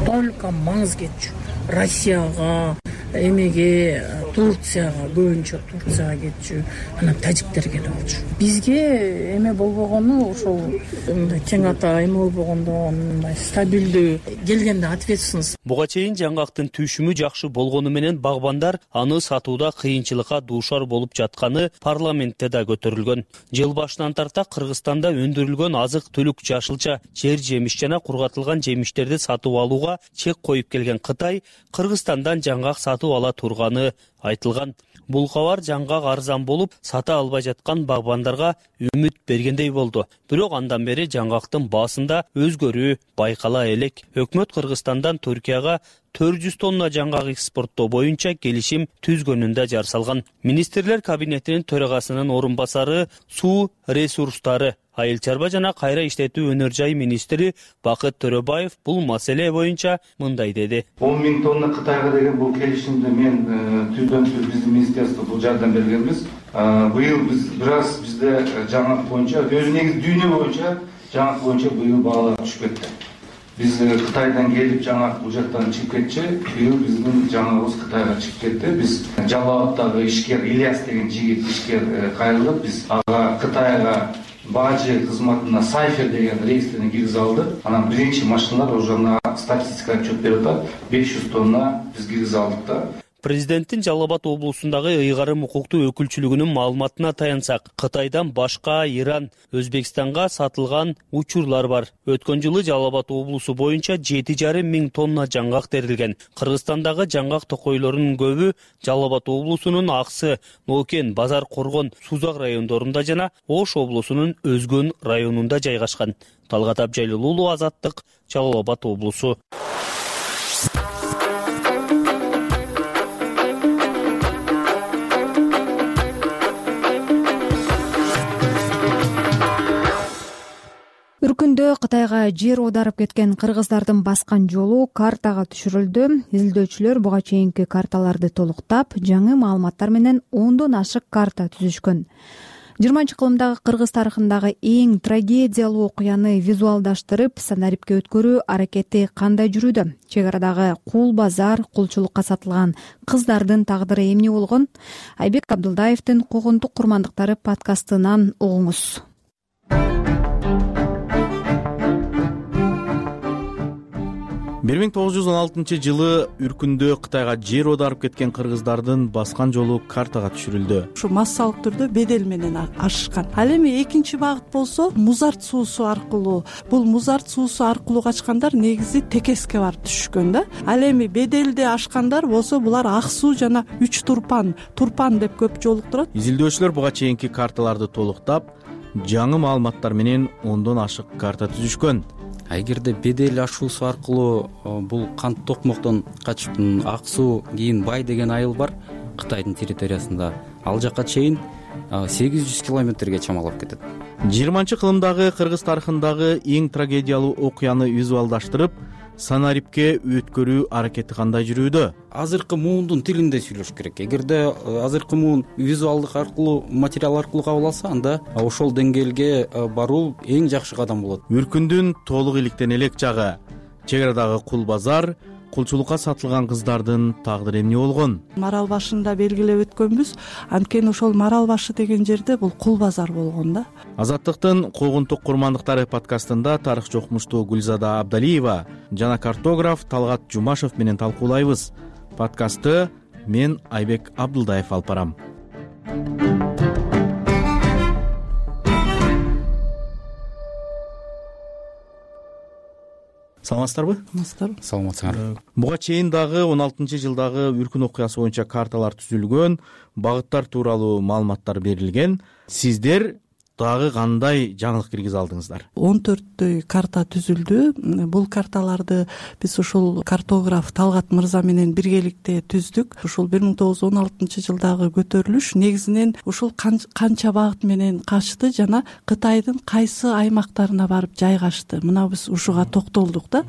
Только маңыз кетчү. Россияга, эмеге, Турцияга, көбүнчө Турцияга кетчү, анан тажиктер келип алчу. Бизге эме болбогону ошол мындай тең ата эме болбогондо, мындай стабилдүү келгенде ответственность. Буга чейин жаңгактын түшүмү жакшы болгону менен багбандар аны сатууда кыйынчылыкка дуушар болуп жатканы парламентте да көтөрүлгөн. Жыл башынан тарта Кыргызстанда өндүрүлгөн азык-түлүк, жашылча, жер жемиш жана кургатылган жемиштерди сатып алууга чек коюп келген Кытай Кыргызстандан жаңгак сатып ала турганы айтылган. Бул кабар жаңгак арзан болуп, сата албай жаткан багбандарга үмүт бергендей болду. Бирок андан бери жаңгактын баасында өзгөрүү байкала элек. Өкмөт Кыргызстандан Түркияга төрт жүз тонна жаңгак экспорттоо боюнча келишим түзгөнүндө жар салган. Министрлер кабинетинин төрагасынын орун басары, суу ресурстары, айыл чарба жана кайра иштетүү өнөр жай министри Бакыт Төрөбаев бул маселе боюнча мындай деди. он миң тонна Кытайга деген бул келишимди мен түздөн түз биздин министерство бул жардам бергенбиз. Быйыл биз бир аз бизде жаңгак боюнча, өзү негизи дүйнө боюнча жаңгак боюнча быйыл баалар түшүп кетти. Биз Кытайдан келип жаңгак бул жактан чыгып кетчи, быйыл биздин жаңгагыбыз Кытайга чыгып кетти. Биз Жалал Абадтагы ишкер Ильяс деген жигит ишкер кайрылып, биз ага Кытайга бажы кызматына Сайфер деген рейстерин киргизе алдык. Анан биринчи машиналар уже на статистикага отчет берип атат. беш жүз тонна биз киргизе алдык да. Президенттин Жалал Абад облусундагы ыйгарым укуктуу өкүлчүлүгүнүн маалыматына таянсак, Кытайдан башка Иран, Өзбекстанга сатылган учурлар бар. Өткөн жылы Жалал Абад облусу боюнча жети жарым миң тонна жаңгак терилген. Кыргызстандагы жаңгак токойлорунун көбү Жалал Абад облусунун Аксы, Нокен, Базар Коргон, Сузак райондорунда жана Ош облусунун Өзгөн районунда жайгашкан. Талгат Абжайлуу уулу, Азаттык, Жалал Абад облусу. Үркүндө Кытайга жер оодарып кеткен кыргыздардын баскан жолу картага түшүрүлдү. Изилдөөчүлөр буга чейинки карталарды толуктап, жаңы маалыматтар менен ондон ашык карта түзүшкөн. жыйырманчы кылымдагы кыргыз тарыхындагы эң трагедиялуу окуяны визуалдаштырып, сценарийге өткөрүү аракети кандай жүрүүдө? Чек арадагы кул базар, кулчулукка сатылган кыздардын тагдыры эмне болгон? Айбек Абдулдаевдин Куугунтук курмандыктары подкастынан угуңуз. бир миң тогуз жүз он алтынчы жылы үркүндө Кытайга жер оодарып кеткен кыргыздардын баскан жолу картага түшүрүлдү. Ушу массалык түрдө бедел менен ашышкан. Ал эми экинчи багыт болсо Музарт суусу аркылуу. Бул Музарт суусу аркылуу качкандар негизи Текеске барып түшкөн да. Ал эми беделди ашкандар болсо булар Ак суу жана Үч Турпан, Турпан деп көп жолуктурат. Изилдөөчүлөр буга чейинки карталарды толуктап, жаңы маалыматтар менен ондон ашык карта түзүшкөн. Эгерде бедел ашуусу аркылуу бул кант токмоктон качып Ак суу кийин Бай деген айыл бар Кытайдын территориясында, ал жака чейин сегиз жүз километрге чамалап кетет. жыйырманчы кылымдагы кыргыз тарыхындагы эң трагедиялуу окуяны визуалдаштырып, санариптке өткөрүү аракети кандай жүрүүдө? Азыркы муундун тилинде сүйлөш керек. Эгерде азыркы муун визуалдык аркылуу, материал аркылуу кабыл алса, анда ошол деңгээлге баруу эң жакшы кадам болот. Үркүндүн толук иликтен элек жагы, чек арадагы кул базар, кулчулукка сатылган кыздардын тагдыры эмне болгон? Марал башында белгилеп өткөнбүз, анткени ошол Марал башы деген жерде бул кул базар болгон да. Азаттыктын куугунтук курмандыктары подкастында тарыхчы окумуштуу Гүлзада Абдалиева жана картограф Талгат Жумашев менен талкуулайбыз. Подкастты мен Айбек Абдылдаев алып барам. Саламатсыздарбы? Саламатсыздарбы? Саламатсыңар. Буга чейин дагы он алтынчы жылдагы үркүн окуясы боюнча карталар түзүлгөн, багыттар тууралуу маалыматтар берилген. Сиздер дагы кандай жаңылык киргизе алдыңыздар? он төрттөй карта түзүлдү. Бул карталарды биз ушул картограф Талгат мырза менен биргеликте түздүк. Ушул бир миң тогуз жүз он алтынчы жылдагы көтөрүлүш негизинен ушул канча багыт менен качты жана Кытайдын кайсы аймактарына барып жайгашты. Мына биз ушуга токтолдук да.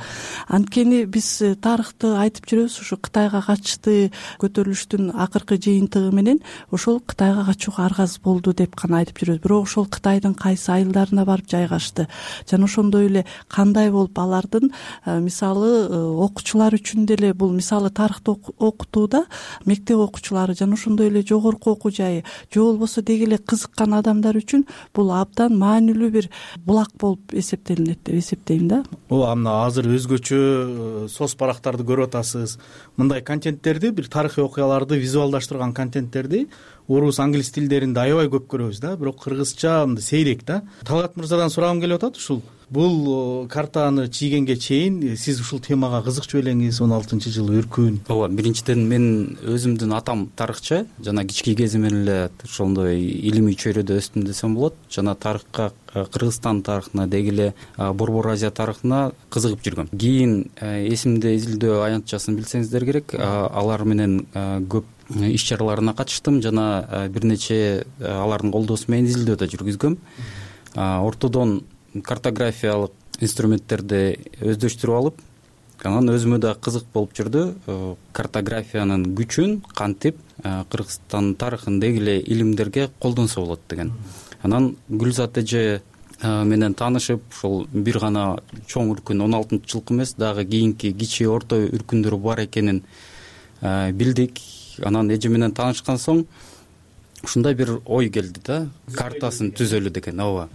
Анткени биз тарыхты айтып жүрөбүз, ушу Кытайга качты көтөрүлүштүн акыркы жыйынтыгы менен ошол Кытайга качууга аргасыз болду деп гана айтып жүрөбүз. Бирок ошол Кытайдын кайсы айылдарына барып жайгашты жана ошондой эле кандай болуп алардын мисалы окуучулар үчүн деле бул мисалы тарыхты окутууда мектеп окуучулары жана ошондой эле жогорку окуу жайы же болбосо деги эле кызыккан адамдар үчүн бул абдан маанилүү бир булак болуп эсептелинет деп эсептейм да. Ооба, мына азыр өзгөчө соц барактарды көрүп атасыз. Мындай контенттерди, бир тарыхый окуяларды визуалдаштырган контенттерди орус, англис тилдеринде аябай көп көрөбүз да, бирок кыргызча мындай сейрек да. Талгат мырзадан сурагым келип атат, ушул бул картаны чийгенге чейин сиз ушул темага кызыкчу элеңиз, он алтынчы жылы үркүн? Ооба, биринчиден мен өзүмдүн атам тарыхчы, жана кички кезимден эле ошондой илимий чөйрөдө өстүм десем болот. Жана тарыхка, Кыргызстан тарыхына, деги эле Борбор Азия тарыхына кызыгып жүргөм. Кийин эсимде изилдөө аянтчасын билсеңиздер керек, алар менен көп иш чараларына катыштым жана бир нече алардын колдоосу менен изилдөө да жүргүзгөм. Ортодон картографиялык инструменттерди өздөштүрүп алып, анан өзүмө да кызык болуп жүрдү. Картографиянын күчүн кантип Кыргызстан тарыхын деги эле илимдерге колдонсо болот деген. Анан Гүлзат эже менен таанышып, ошол бир гана чоң үркүн он алтынчы жылкы эмес, дагы кийинки кичи орто үркүндөр бар экенин билдик. Анан эже менен таанышкан соң ушундай бир ой келди да, картасын түзөлү деген. Ооба.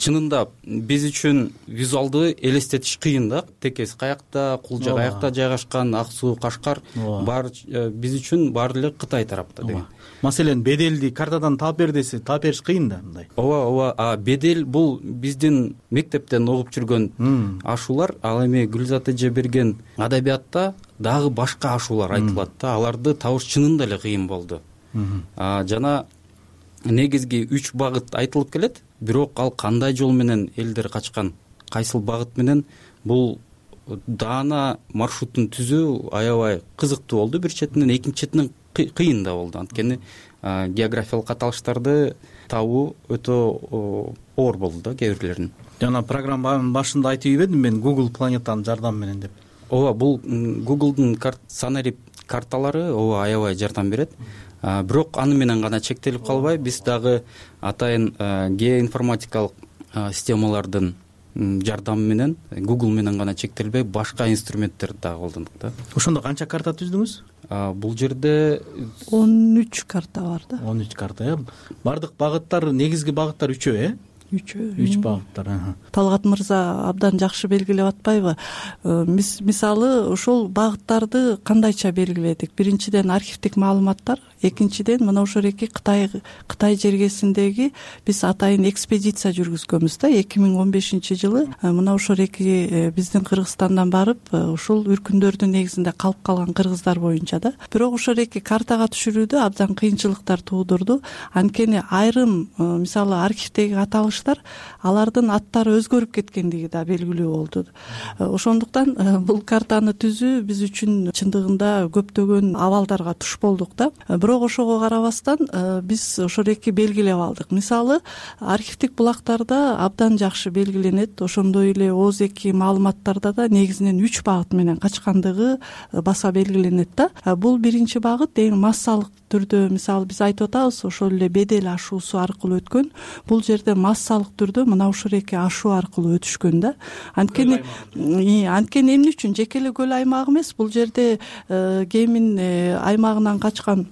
Чынында биз үчүн визуалдуу элестетиш кыйын да. Текес каякта, Кулжа каякта жайгашкан, Ак суу, Кашкар бар биз үчүн баары эле Кытай тарапта деген. Маселен, беделди картадан таап бер десе, таап бериш кыйын да мындай. Ооба, ооба. А бедел бул биздин мектептен окуп жүргөн ашуулар. Ал эми Гүлзат эже берген адабиятта дагы башка ашуулар айтылат да. Аларды табыш чынында эле кыйын болду. Жана негизги үч багыт айтылып келет, бирок ал кандай жол менен элдер качкан, кайсыл багыт менен, бул даана маршрутун түзүү аябай кызыктуу болду бир четинен, экинчи четинен кыйын да болду. Анткени географиялык аталыштарды табуу өтө оор болду да кээ бирлерин. Жана программанын башында айтып ийбедим мен Google планетанын жардамы менен деп. Ооба, бул Google'дун санарип карталары ооба аябай жардам берет. Бирок аны менен гана чектелип калбай, биз дагы атайын геоинформатикалык системалардын жардамы менен, Google менен гана чектелбей, башка инструменттерди дагы колдондук да. Ошондо канча карта түздүңүз? Бул жерде он үч карта бар да. он үч карта, э? Бардык багыттар, негизги багыттар үчөө, э? үчөө үч багыттар. Талгат мырза абдан жакшы белгилеп атпайбы? Мисалы ошол багыттарды кандайча белгиледик? Биринчиден архивдик маалыматтар, экинчиден мына ошол эки Кытай Кытай жергесиндеги биз атайын экспедиция жүргүзгөнбүз да эки миң он бешинчи жылы. Мына ошол эки биздин Кыргызстандан барып ушул үркүндөрдүн негизинде калып калган кыргыздар боюнча да. Бирок ошол эки картага түшүрүүдө абдан кыйынчылыктар туудурду. Анткени айрым мисалы архивдеги аталыштар алардын аттары өзгөрүп кеткендиги да белгилүү болду. Ошондуктан бул картаны түзүү биз үчүн чындыгында көптөгөн абалдарга туш болдук да. Бирок ошого карабастан биз ошол эки белгилеп алдык. Мисалы архивдик булактарда абдан жакшы белгиленет. Ошондой эле ооз эки маалыматтарда да негизинен үч багыт менен качкандыгы баса белгиленет да. Бул биринчи багыт эң массалык түрдө, мисалы биз айтып атабыз, ошол эле бедел ашуусу аркылуу өткөн. Бул жерде массалык түрдө мына ушул эки ашуу аркылуу өтүшкөн да. Анткени анткени эмне үчүн жеке эле көл аймагы эмес, бул жерде Кемин аймагынан качкан,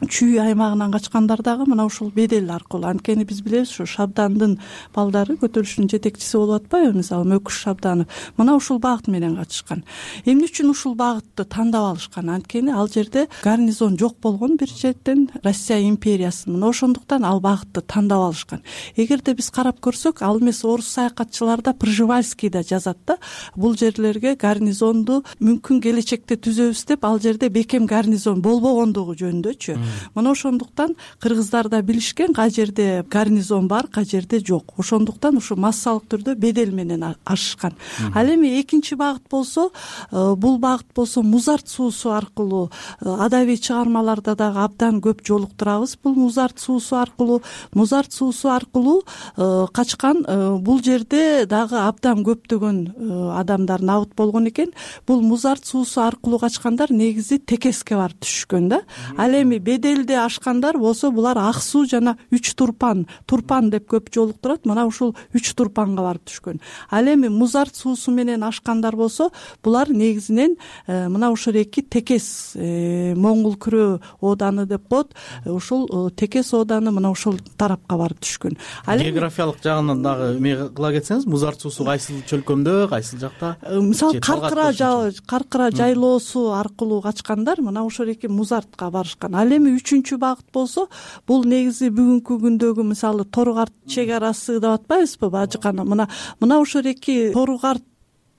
Чүй аймагынан качкандар дагы мына ушул бедел аркылуу. Анткени биз билебиз, ушу Шабдандын балдары көтөрүлүштүн жетекчиси болуп атпайбы, мисалы Мөкүш Шабданов. Мына ушул багыт менен катышкан. Эмне үчүн ушул багытты тандап алышкан? Анткени ал жерде гарнизон жок болгон бир жерден, Россия империясынын. Мына ошондуктан ал багытты тандап алышкан. Эгерде биз карап көрсөк, ал эмес орус саякатчылар да Пржевальский да жазат да, бул жерлерге гарнизонду мүмкүн келечекте түзөбүз деп, ал жерде бекем гарнизон болбогондугу жөнүндөчү. Мына ошондуктан кыргыздар да билишкен, кай жерде гарнизон бар, кай жерде жок. Ошондуктан ушу массалык түрдө бедел менен ашышкан. Ал эми экинчи багыт болсо, бул багыт болсо Музарт суусу аркылуу, адабий чыгармаларда дагы абдан көп жолуктурабыз. Бул Музарт суусу аркылуу, Музарт суусу аркылуу качкан. Бул жерде дагы абдан көптөгөн адамдар набыт болгон экен. Бул Музарт суусу аркылуу качкандар негизи Текеске барып түшкөн да. Ал эми беделде ашкандар болсо булар Ак суу жана Үч Турпан, Турпан деп көп жолуктурат. Мына ушул Үч Турпанга барып түшкөн. Ал эми Музарт суусу менен ашкандар болсо, булар негизинен мына ушул эки Текес Моңгол күрөө ооданы деп коет. Ушул Текес ооданы мына ушул тарапка барып түшкөн. Географиялык жагынан дагы эме кыла кетсеңиз, Музарт суусу кайсыл чөлкөмдө, кайсыл жакта? Мисалы Каркыра Каркыра жайлоосу аркылуу качкандар мына ошол эки Музартка барышкан. Ал эми үчүнчү багыт болсо, бул негизи бүгүнкү күндөгү мисалы Торугарт чек арасы деп атпайбызбы, Бажыкана. Мына мына ошол эки Торугарт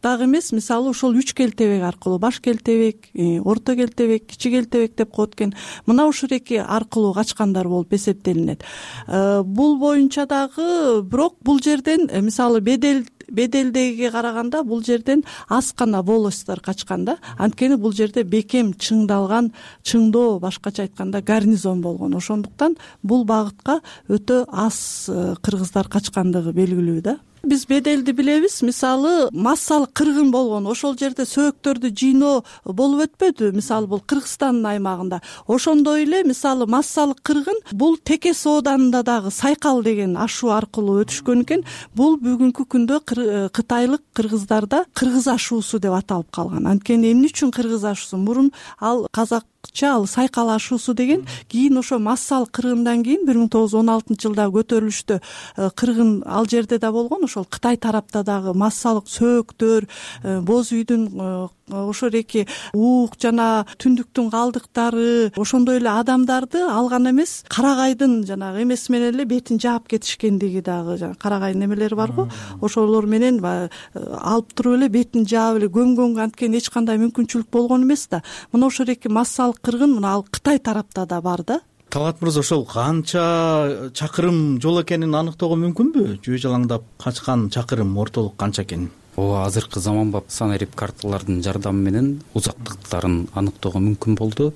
дагы эмес, мисалы ошол үч келтебек аркылуу, баш келтебек, орто келтебек, кичи келтебек деп коет экен. Мына ушул эки аркылуу качкандар болуп эсептелинет. Бул боюнча дагы бирок бул жерден мисалы бедел беделдеге караганда бул жерден аз гана волостьтор качкан да. Анткени бул жерде бекем чыңдалган, чыңдоо, башкача айтканда гарнизон болгон. Ошондуктан бул багытка өтө аз кыргыздар качкандыгы белгилүү да. Биз беделди билебиз, мисалы массалык кыргын болгон. Ошол жерде сөөктөрдү жыйноо болуп өтпөдү, мисалы бул Кыргызстандын аймагында. Ошондой эле мисалы массалык кыргын бул Текес ооданында дагы Сайкал деген ашуу аркылуу өтүшкөн экен. Бул бүгүнкү күндө кытайлык кыргыздарда кыргыз ашуусу деп аталып калган. Анткени эмне үчүн кыргыз ашуусу? Мурун ал казак ал Сайкал ашуусу деген, кийин ошо массалык кыргындан кийин бир миң тогуз жүз он алтынчы жылда көтөрүлүштө кыргын ал жерде да болгон. Ошол Кытай тарапта дагы массалык сөөктөр, боз үйдүн ошол эки уук жана түндүктүн калдыктары, ошондой эле адамдарды алган эмес, карагайдын жанагы эмеси менен эле бетин жаап кетишкендиги дагы, жана карагай немелери барго, ошолор менен алып туруп эле бетин жаап эле көмгөнгө анткени эч кандай мүмкүнчүлүк болгон эмес да. Мына ошол эки массалык кыргын мына ал Кытай тарапта да бар да. Талгат мырза, ошол канча чакырым жол экенин аныктоого мүмкүнбү? Жөө жалаңдап качкан чакырым ортолук канча экенин? Ооба, азыркы заманбап санарип карталардын жардамы менен узактыктарын аныктоого мүмкүн болду.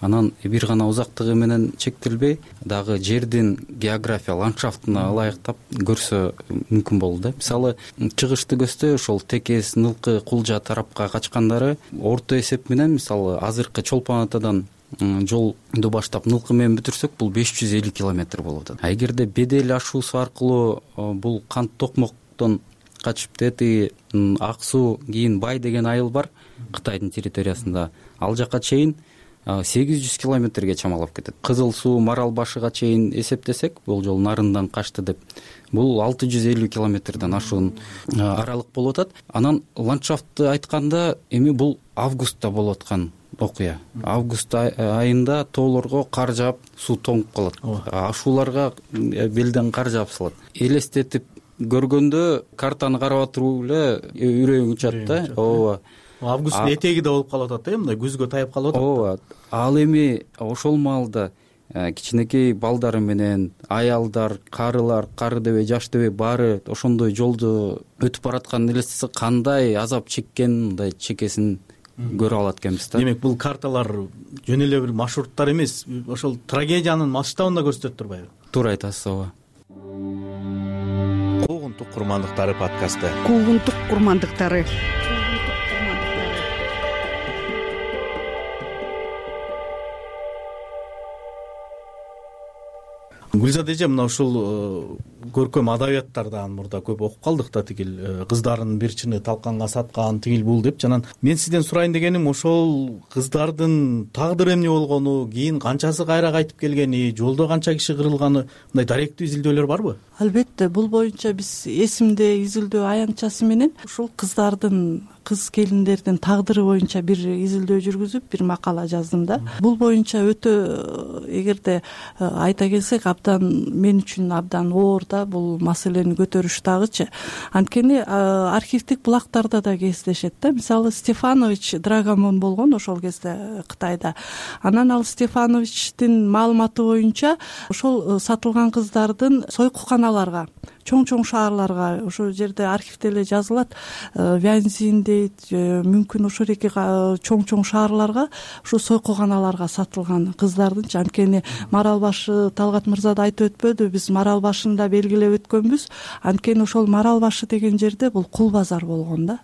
Анан бир гана узактыгы менен чектелбей, дагы жердин география ландшафтына ылайыктап көрсө мүмкүн болду да. Мисалы, чыгышты көздөй ошол Текес, Нылкы, Кулжа тарапка качкандары орто эсеп менен, мисалы, азыркы Чолпон Атадан жолду баштап Нылкы менен бүтүрсөк, бул беш жүз элүү километр болуп атат. А эгерде бедел ашуусу аркылуу бул Кант Токмоктон качып тети Ак суу, кийин Бай деген айыл бар Кытайдын территориясында, ал жака чейин сегиз жүз километрге чамалап кетет. Кызыл суу Марал башыга чейин эсептесек, бул жолу нарындан качты деп, бул алты жүз элүү километрден ашуун аралык болуп атат. Анан ландшафтты айтканда эми бул августта болуп аткан окуя. Август айында тоолорго кар жаап, суу тоңуп калат. Ашууларга белден кар жаап салат. Элестетип көргөндө картаны карап туруп эле үрөйүң учат да. Ооба. Августтун этеги да болуп калып атат да, мындай күзгө таяп калып атат. Ооба. Ал эми ошол маалда кичинекей балдары менен аялдар, карылар, кары дебей, жаш дебей баары ошондой жолду өтүп баратканын элестесе кандай азап чеккен, мындай чекесин көрө алат экенбиз да. Демек бул карталар жөн эле бир маршруттар эмес, ошол трагедиянын масштабын да көрсөтөт турбайбы? Туура айтасыз, ооба. Куугунтук курмандыктары подкасты. Куугунтук курмандыктары. Гүлзат эже, мына ушул көркөм адабияттардан мурда көп окуп калдык да, тигил кыздардын бир чыны талканга саткан, тигил бул деп. Жанан мен сизден сурайын дегеним, ошол кыздардын тагдыры эмне болгону, кийин канчасы кайра кайтып келгени, жолдо канча киши кырылганы, мындай даректүү изилдөөлөр барбы? Албетте, бул боюнча биз эсимде изилдөө аянтчасы менен ушул кыздардын, кыз келиндердин тагдыры боюнча бир изилдөө жүргүзүп, бир макала жаздым да. Бул боюнча өтө, эгерде айта келсек, абдан мен үчүн абдан оор да бул маселени көтөрүш дагычы. Анткени архивдик булактарда да кездешет да. Мисалы Стефанович Драгомон болгон ошол кезде Кытайда. Анан ал Стефановичтин маалыматы боюнча ошол сатылган кыздардын сойкуканаларга, чоң-чоң шаарларга, ошол жерде архивде эле жазылат, Вянзин дейт, мүмкүн ошол эки чоң-чоң шаарларга, ушу сойкуканаларга сатылган кыздардын. Анткени Марал башы Талгат мырза да айтып өтпөдү, биз Марал башында белгилеп өткөнбүз. Анткени ошол Марал башы деген жерде бул кул базар болгон да.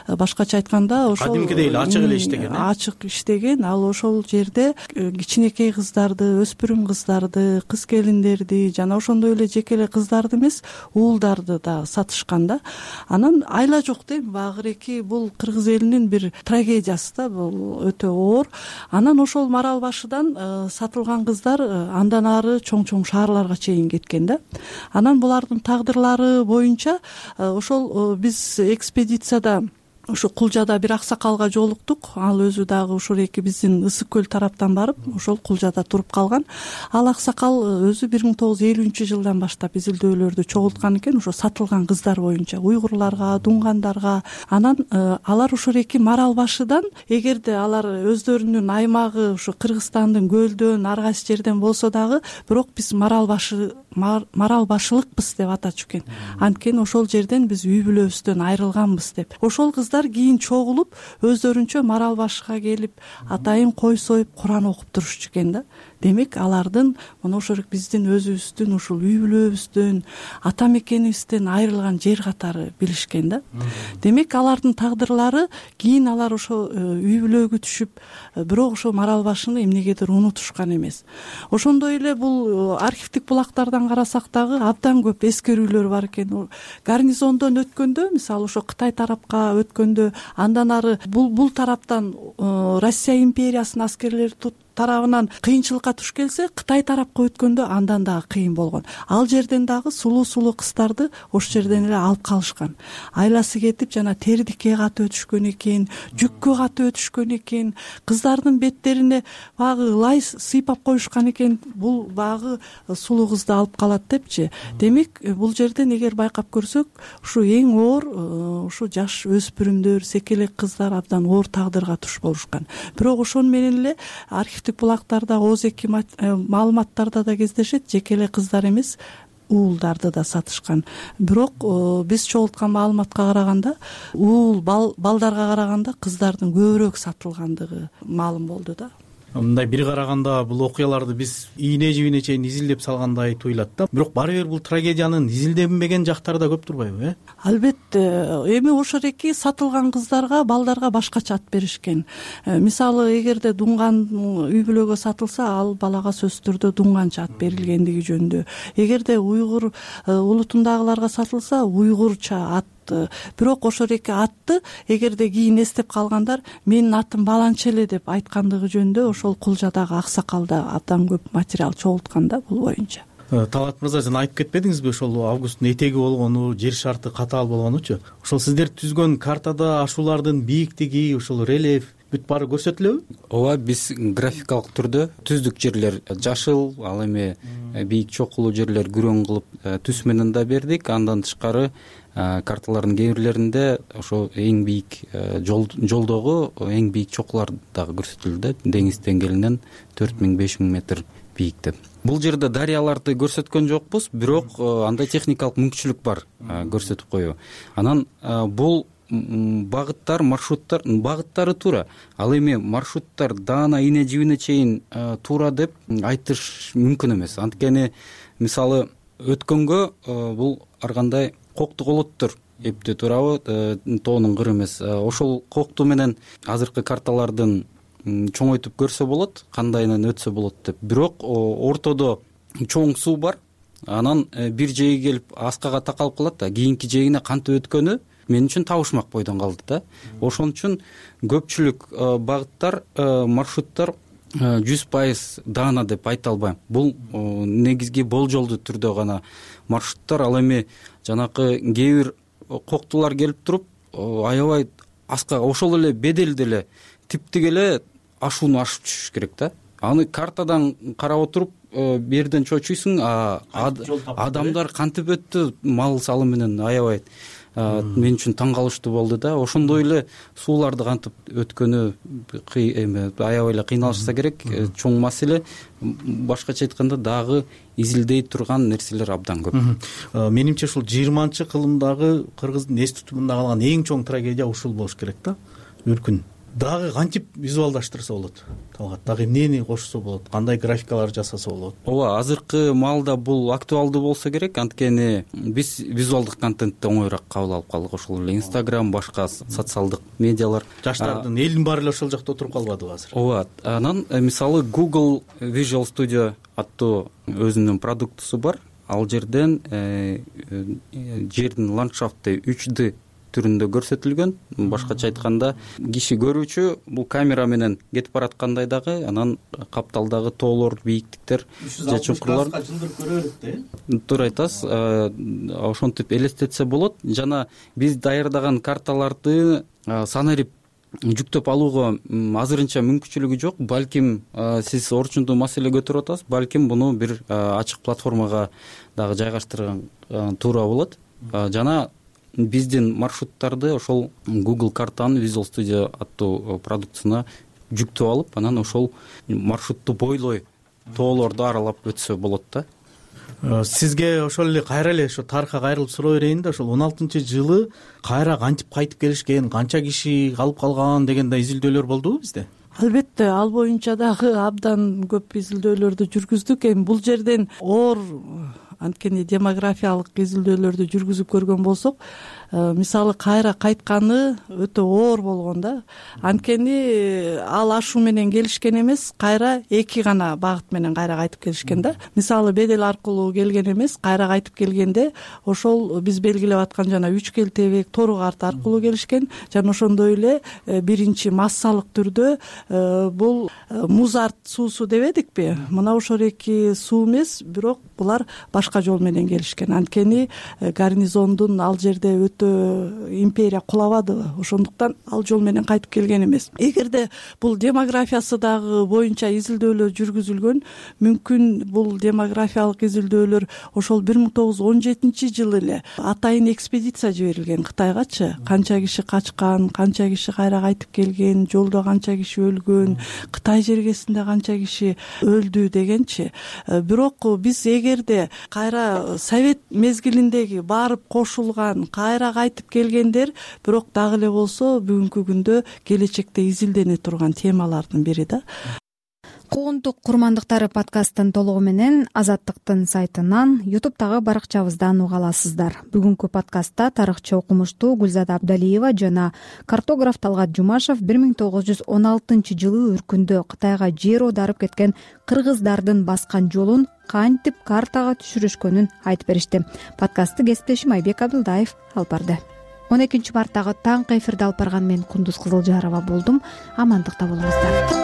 Башкача айтканда, ошол кадимкидей эле ачык эле иштеген. Ачык иштеген. Ал ошол жерде кичинекей кыздарды, өспүрүм кыздарды, кыз келиндерди, жана ошондой эле жеке эле кыздарды эмес, уулдарды да сатышкан да. Анан айла жок дейм, багыреки бул кыргыз элинин бир трагедиясы да, бул өтө оор. Анан ошол Марал башыдан сатылган кыздар андан ары чоң-чоң шаарларга чейин кеткен да. Анан булардын тагдырлары боюнча ошол биз экспедицияда ушу Кулжада бир аксакалга жолуктук. Ал өзү дагы ушул эки биздин Ысык көл тараптан барып, ошол Кулжада туруп калган. Ал аксакал өзү бир миң тогуз жүз элүүнчү жылдан баштап изилдөөлөрдү чогулткан экен, ошо сатылган кыздар боюнча, уйгурларга, дунгандарга. Анан алар ушул эки Марал башыдан, эгерде алар өздөрүнүн аймагы ушу Кыргызстандын көлдөн, ар кайсы жерден болсо дагы, бирок биз Марал башы Марал башылыкпыз деп атачу экен. Анткени ошол жерден биз үй бүлөбүздөн айрылганбыз деп. Ошол кыздар кийин чогулуп, өздөрүнчө Марал башыга келип, атайын кой союп, Куран окуп турушчу экен да. Демек алардын мына ошол биздин өзүбүздүн ушул үй бүлөбүздөн, ата мекенибизден айрылган жер катары билишкен да. Демек алардын тагдырлары кийин алар ошо үй бүлөгө түшүп, бирок ошо Марал башыны эмнегедир унутушкан эмес. Ошондой эле бул архивдик булактардан карасак дагы абдан көп эскерүүлөр бар экен. Гарнизондон өткөндө, мисалы ошо Кытай тарапка өткөндө, андан ары бул бул тараптан Россия империясынын аскерлери тарабынан кыйынчылыкка туш келсе, Кытай тарапка өткөндө андан дагы кыйын болгон. Ал жерден дагы сулуу-сулуу кыздарды ошол жерден эле алып калышкан. Айласы кетип, жана тердикке катып өтүшкөн экен, жүккө катып өтүшкөн экен, кыздардын беттерине багы лай сыйпап коюшкан экен. Бул багы сулуу кызды алып калат депчи. Демек, бул жерден эгер байкап көрсөк, ушу эң оор ушу жаш өспүрүмдөр, секелек кыздар абдан оор тагдырга туш болушкан. Бирок ошону менен эле архивдик булактарда, оз эки маалыматтарда да кездешет, жеке эле кыздар эмес, уулдарды да сатышкан. Бирок биз чогулткан маалыматка караганда, уул балдарга караганда кыздардын көбүрөөк сатылгандыгы маалым болду да. Мындай бир караганда бул окуяларды биз ийне жибине чейин изилдеп салгандай туюлат да. Бирок баары бир бул трагедиянын изилденбеген жактары да көп турбайбы, э? Албетте, эми ошол эки сатылган кыздарга, балдарга башкача ат беришкен. Мисалы, эгерде дунган үй бүлөгө сатылса, ал балага сөзсүз түрдө дунганча ат берилгендиги жөнүндө. Эгерде уйгур улутундагыларга сатылса, уйгурча ат бирок ошол эки атты эгерде кийин эстеп калгандар менин атым баланча эле деп айткандыгы жөнүндө ошол кулжадагы аксакалда абдан көп материал чогулткан да бул боюнча. Талгат мырза, жана айтып кетпедиңизби ошол августтун этеги болгону, жер шарты катаал болгонучу? Ошол сиздер түзгөн картада ашуулардын бийиктиги, ошол рельеф бүт баары көрсөтүлөбү? ооба, биз графикалык түрдө түздүк жерлер жашыл, ал эми бийик чокулуу жерлер күрөң кылып түс менен да бердик. Андан тышкары карталардын кээ бирлеринде ошо эң бийик жолдогу эң бийик чокулар дагы көрсөтүлдү, деңиз деңгээлинен төрт миң беш миң метр бийикте. Бул жерде дарыяларды көрсөткөн жокпуз, бирок андай техникалык мүмкүнчүлүк бар көрсөтүп коюу. Анан бул багыттар, маршруттар, багыттары туура. Ал эми маршруттар даана ийне жибине чейин туура деп айтыш мүмкүн эмес. Анткени мисалы өткөнгө бул ар кандай кокту колоттор эптеп турабы, тоонун кыры эмес. Ошол кокту менен азыркы карталардын чоңойтуп көрсө болот, кандайынан өтсө болот деп. Бирок ортодо чоң суу бар. Анан бир жээги келип аскага такалып калат да, кийинки жээгине кантип өткөнү мен үчүн табышмак бойдон калды да. Ошон үчүн көпчүлүк багыттар, маршруттар жүз пайыз даана деп айта албайм. Бул негизги болжолдуу түрдө гана маршруттар. Ал эми жанакы кээ бир коктулар келип туруп аябай аскага ошол эле беделде эле типтик эле ашууну ашып түшүш керек да. Аны картадан карап отуруп берден чочуйсуң, адамдар кантип өттү, мал салы менен аябай мен үчүн таң калыштуу болду да. Ошондой эле сууларды кантип өткөнү аябай эле кыйналышса керек. Чоң маселе. Башкача айтканда дагы изилдей турган нерселер абдан көп. Менимче ушул жыйырманчы кылымдагы кыргыздын эс тутумунда калган эң чоң трагедия ушул болуш керек да. Үркүн. Дагы кантип визуалдаштырса болот? Талгат, дагы эмнени кошсо болот? Кандай графикалар жасаса болот? Ооба, азыркы маалда бул актуалдуу болсо керек, анткени биз визуалдык контентти оңоюраак кабыл алып калдык. Ошол эле Instagram, башка социалдык медиалар. Жаштардын элдин баары эле ошол жакта отуруп калбадыбы азыр? Ооба. Анан мисалы Google Visual Studio аттуу өзүнүн продуктусу бар. Ал жерден жердин ландшафты үч дэ түрүндө көрсөтүлгөн. Башкача айтканда, киши көрүүчү бул камера менен кетип бараткандай дагы, анан капталдагы тоолор, бийиктиктер, же чуңкурлар көрө берет да. Туура айтасыз. Ошентип элестетсе болот. Жана биз даярдаган карталарды санарип жүктөп алууга азырынча мүмкүнчүлүгү жок. Балким сиз орчундуу маселе көтөрүп атасыз, балким буну бир ачык платформага дагы жайгаштырган туура болот. Жана биздин маршруттарды ошол Google картанын Visual Studio аттуу продуктусуна жүктөп алып, анан ошол маршрутту бойлой тоолорду аралап өтсө болот да. Сизге ошол эле кайра эле ошо тарыхка кайрылып суроо берейин да. Ошол он алтынчы жылы кайра кантип кайтып келишкен, канча киши калып калган дегендей изилдөөлөр болдубу бизде? Албетте, ал боюнча дагы абдан көп изилдөөлөрдү жүргүздүк. Эми бул жерден оор анткени демографиялык изилдөөлөрдү жүргүзүп көргөн болсок, мисалы кайра кайтканы өтө оор болгон да. Анткени ал ашуу менен келишкен эмес, кайра эки гана багыт менен кайра кайтып келишкен да. Мисалы бедел аркылуу келген эмес, кайра кайтып келгенде ошол биз белгилеп аткан жана үч келтебек тору карта аркылуу келишкен. Жана ошондой эле биринчи массалык түрдө бул музарт суусу дебедикпи? Мына ошол эки суу эмес, бирок булар башка жол менен келишкен. Анткени гарнизондун ал жерде өтө империя кулабадыбы, ошондуктан ал жол менен кайтып келген эмес. Эгерде бул демографиясы дагы боюнча изилдөөлөр жүргүзүлгөн, мүмкүн бул демографиялык изилдөөлөр ошол бир миң тогуз жүз он жетинчи жылы эле атайын экспедиция жиберилген Кытайгачы. Канча киши качкан, канча киши кайра кайтып келген, жолдо канча киши өлгөн, Кытай жергесинде канча киши өлдү дегенчи. Бирок биз эгерде кайра совет мезгилиндеги барып кошулган, кайра кайтып келгендер, бирок дагы эле болсо бүгүнкү күндө келечекте изилдене турган темалардын бири да. Куугунтук курмандыктары подкасттын толугу менен Азаттыктын сайтынан, ютубтагы баракчабыздан уга аласыздар. Бүгүнкү подкастта тарыхчы окумуштуу Гүлзада Абдалиева жана картограф Талгат Жумашев бир миң тогуз жүз он алтынчы жылы Үркүндө Кытайга жер оодарып кеткен кыргыздардын баскан жолун кантип картага түшүрүшкөнүн айтып беришти. Подкастты кесиптешим Айбек Абдылдаев алып барды. он экинчи марттагы таңкы эфирди алып барган мен Кундуз Кызылжарова болдум. Амандыкта болуңуздар.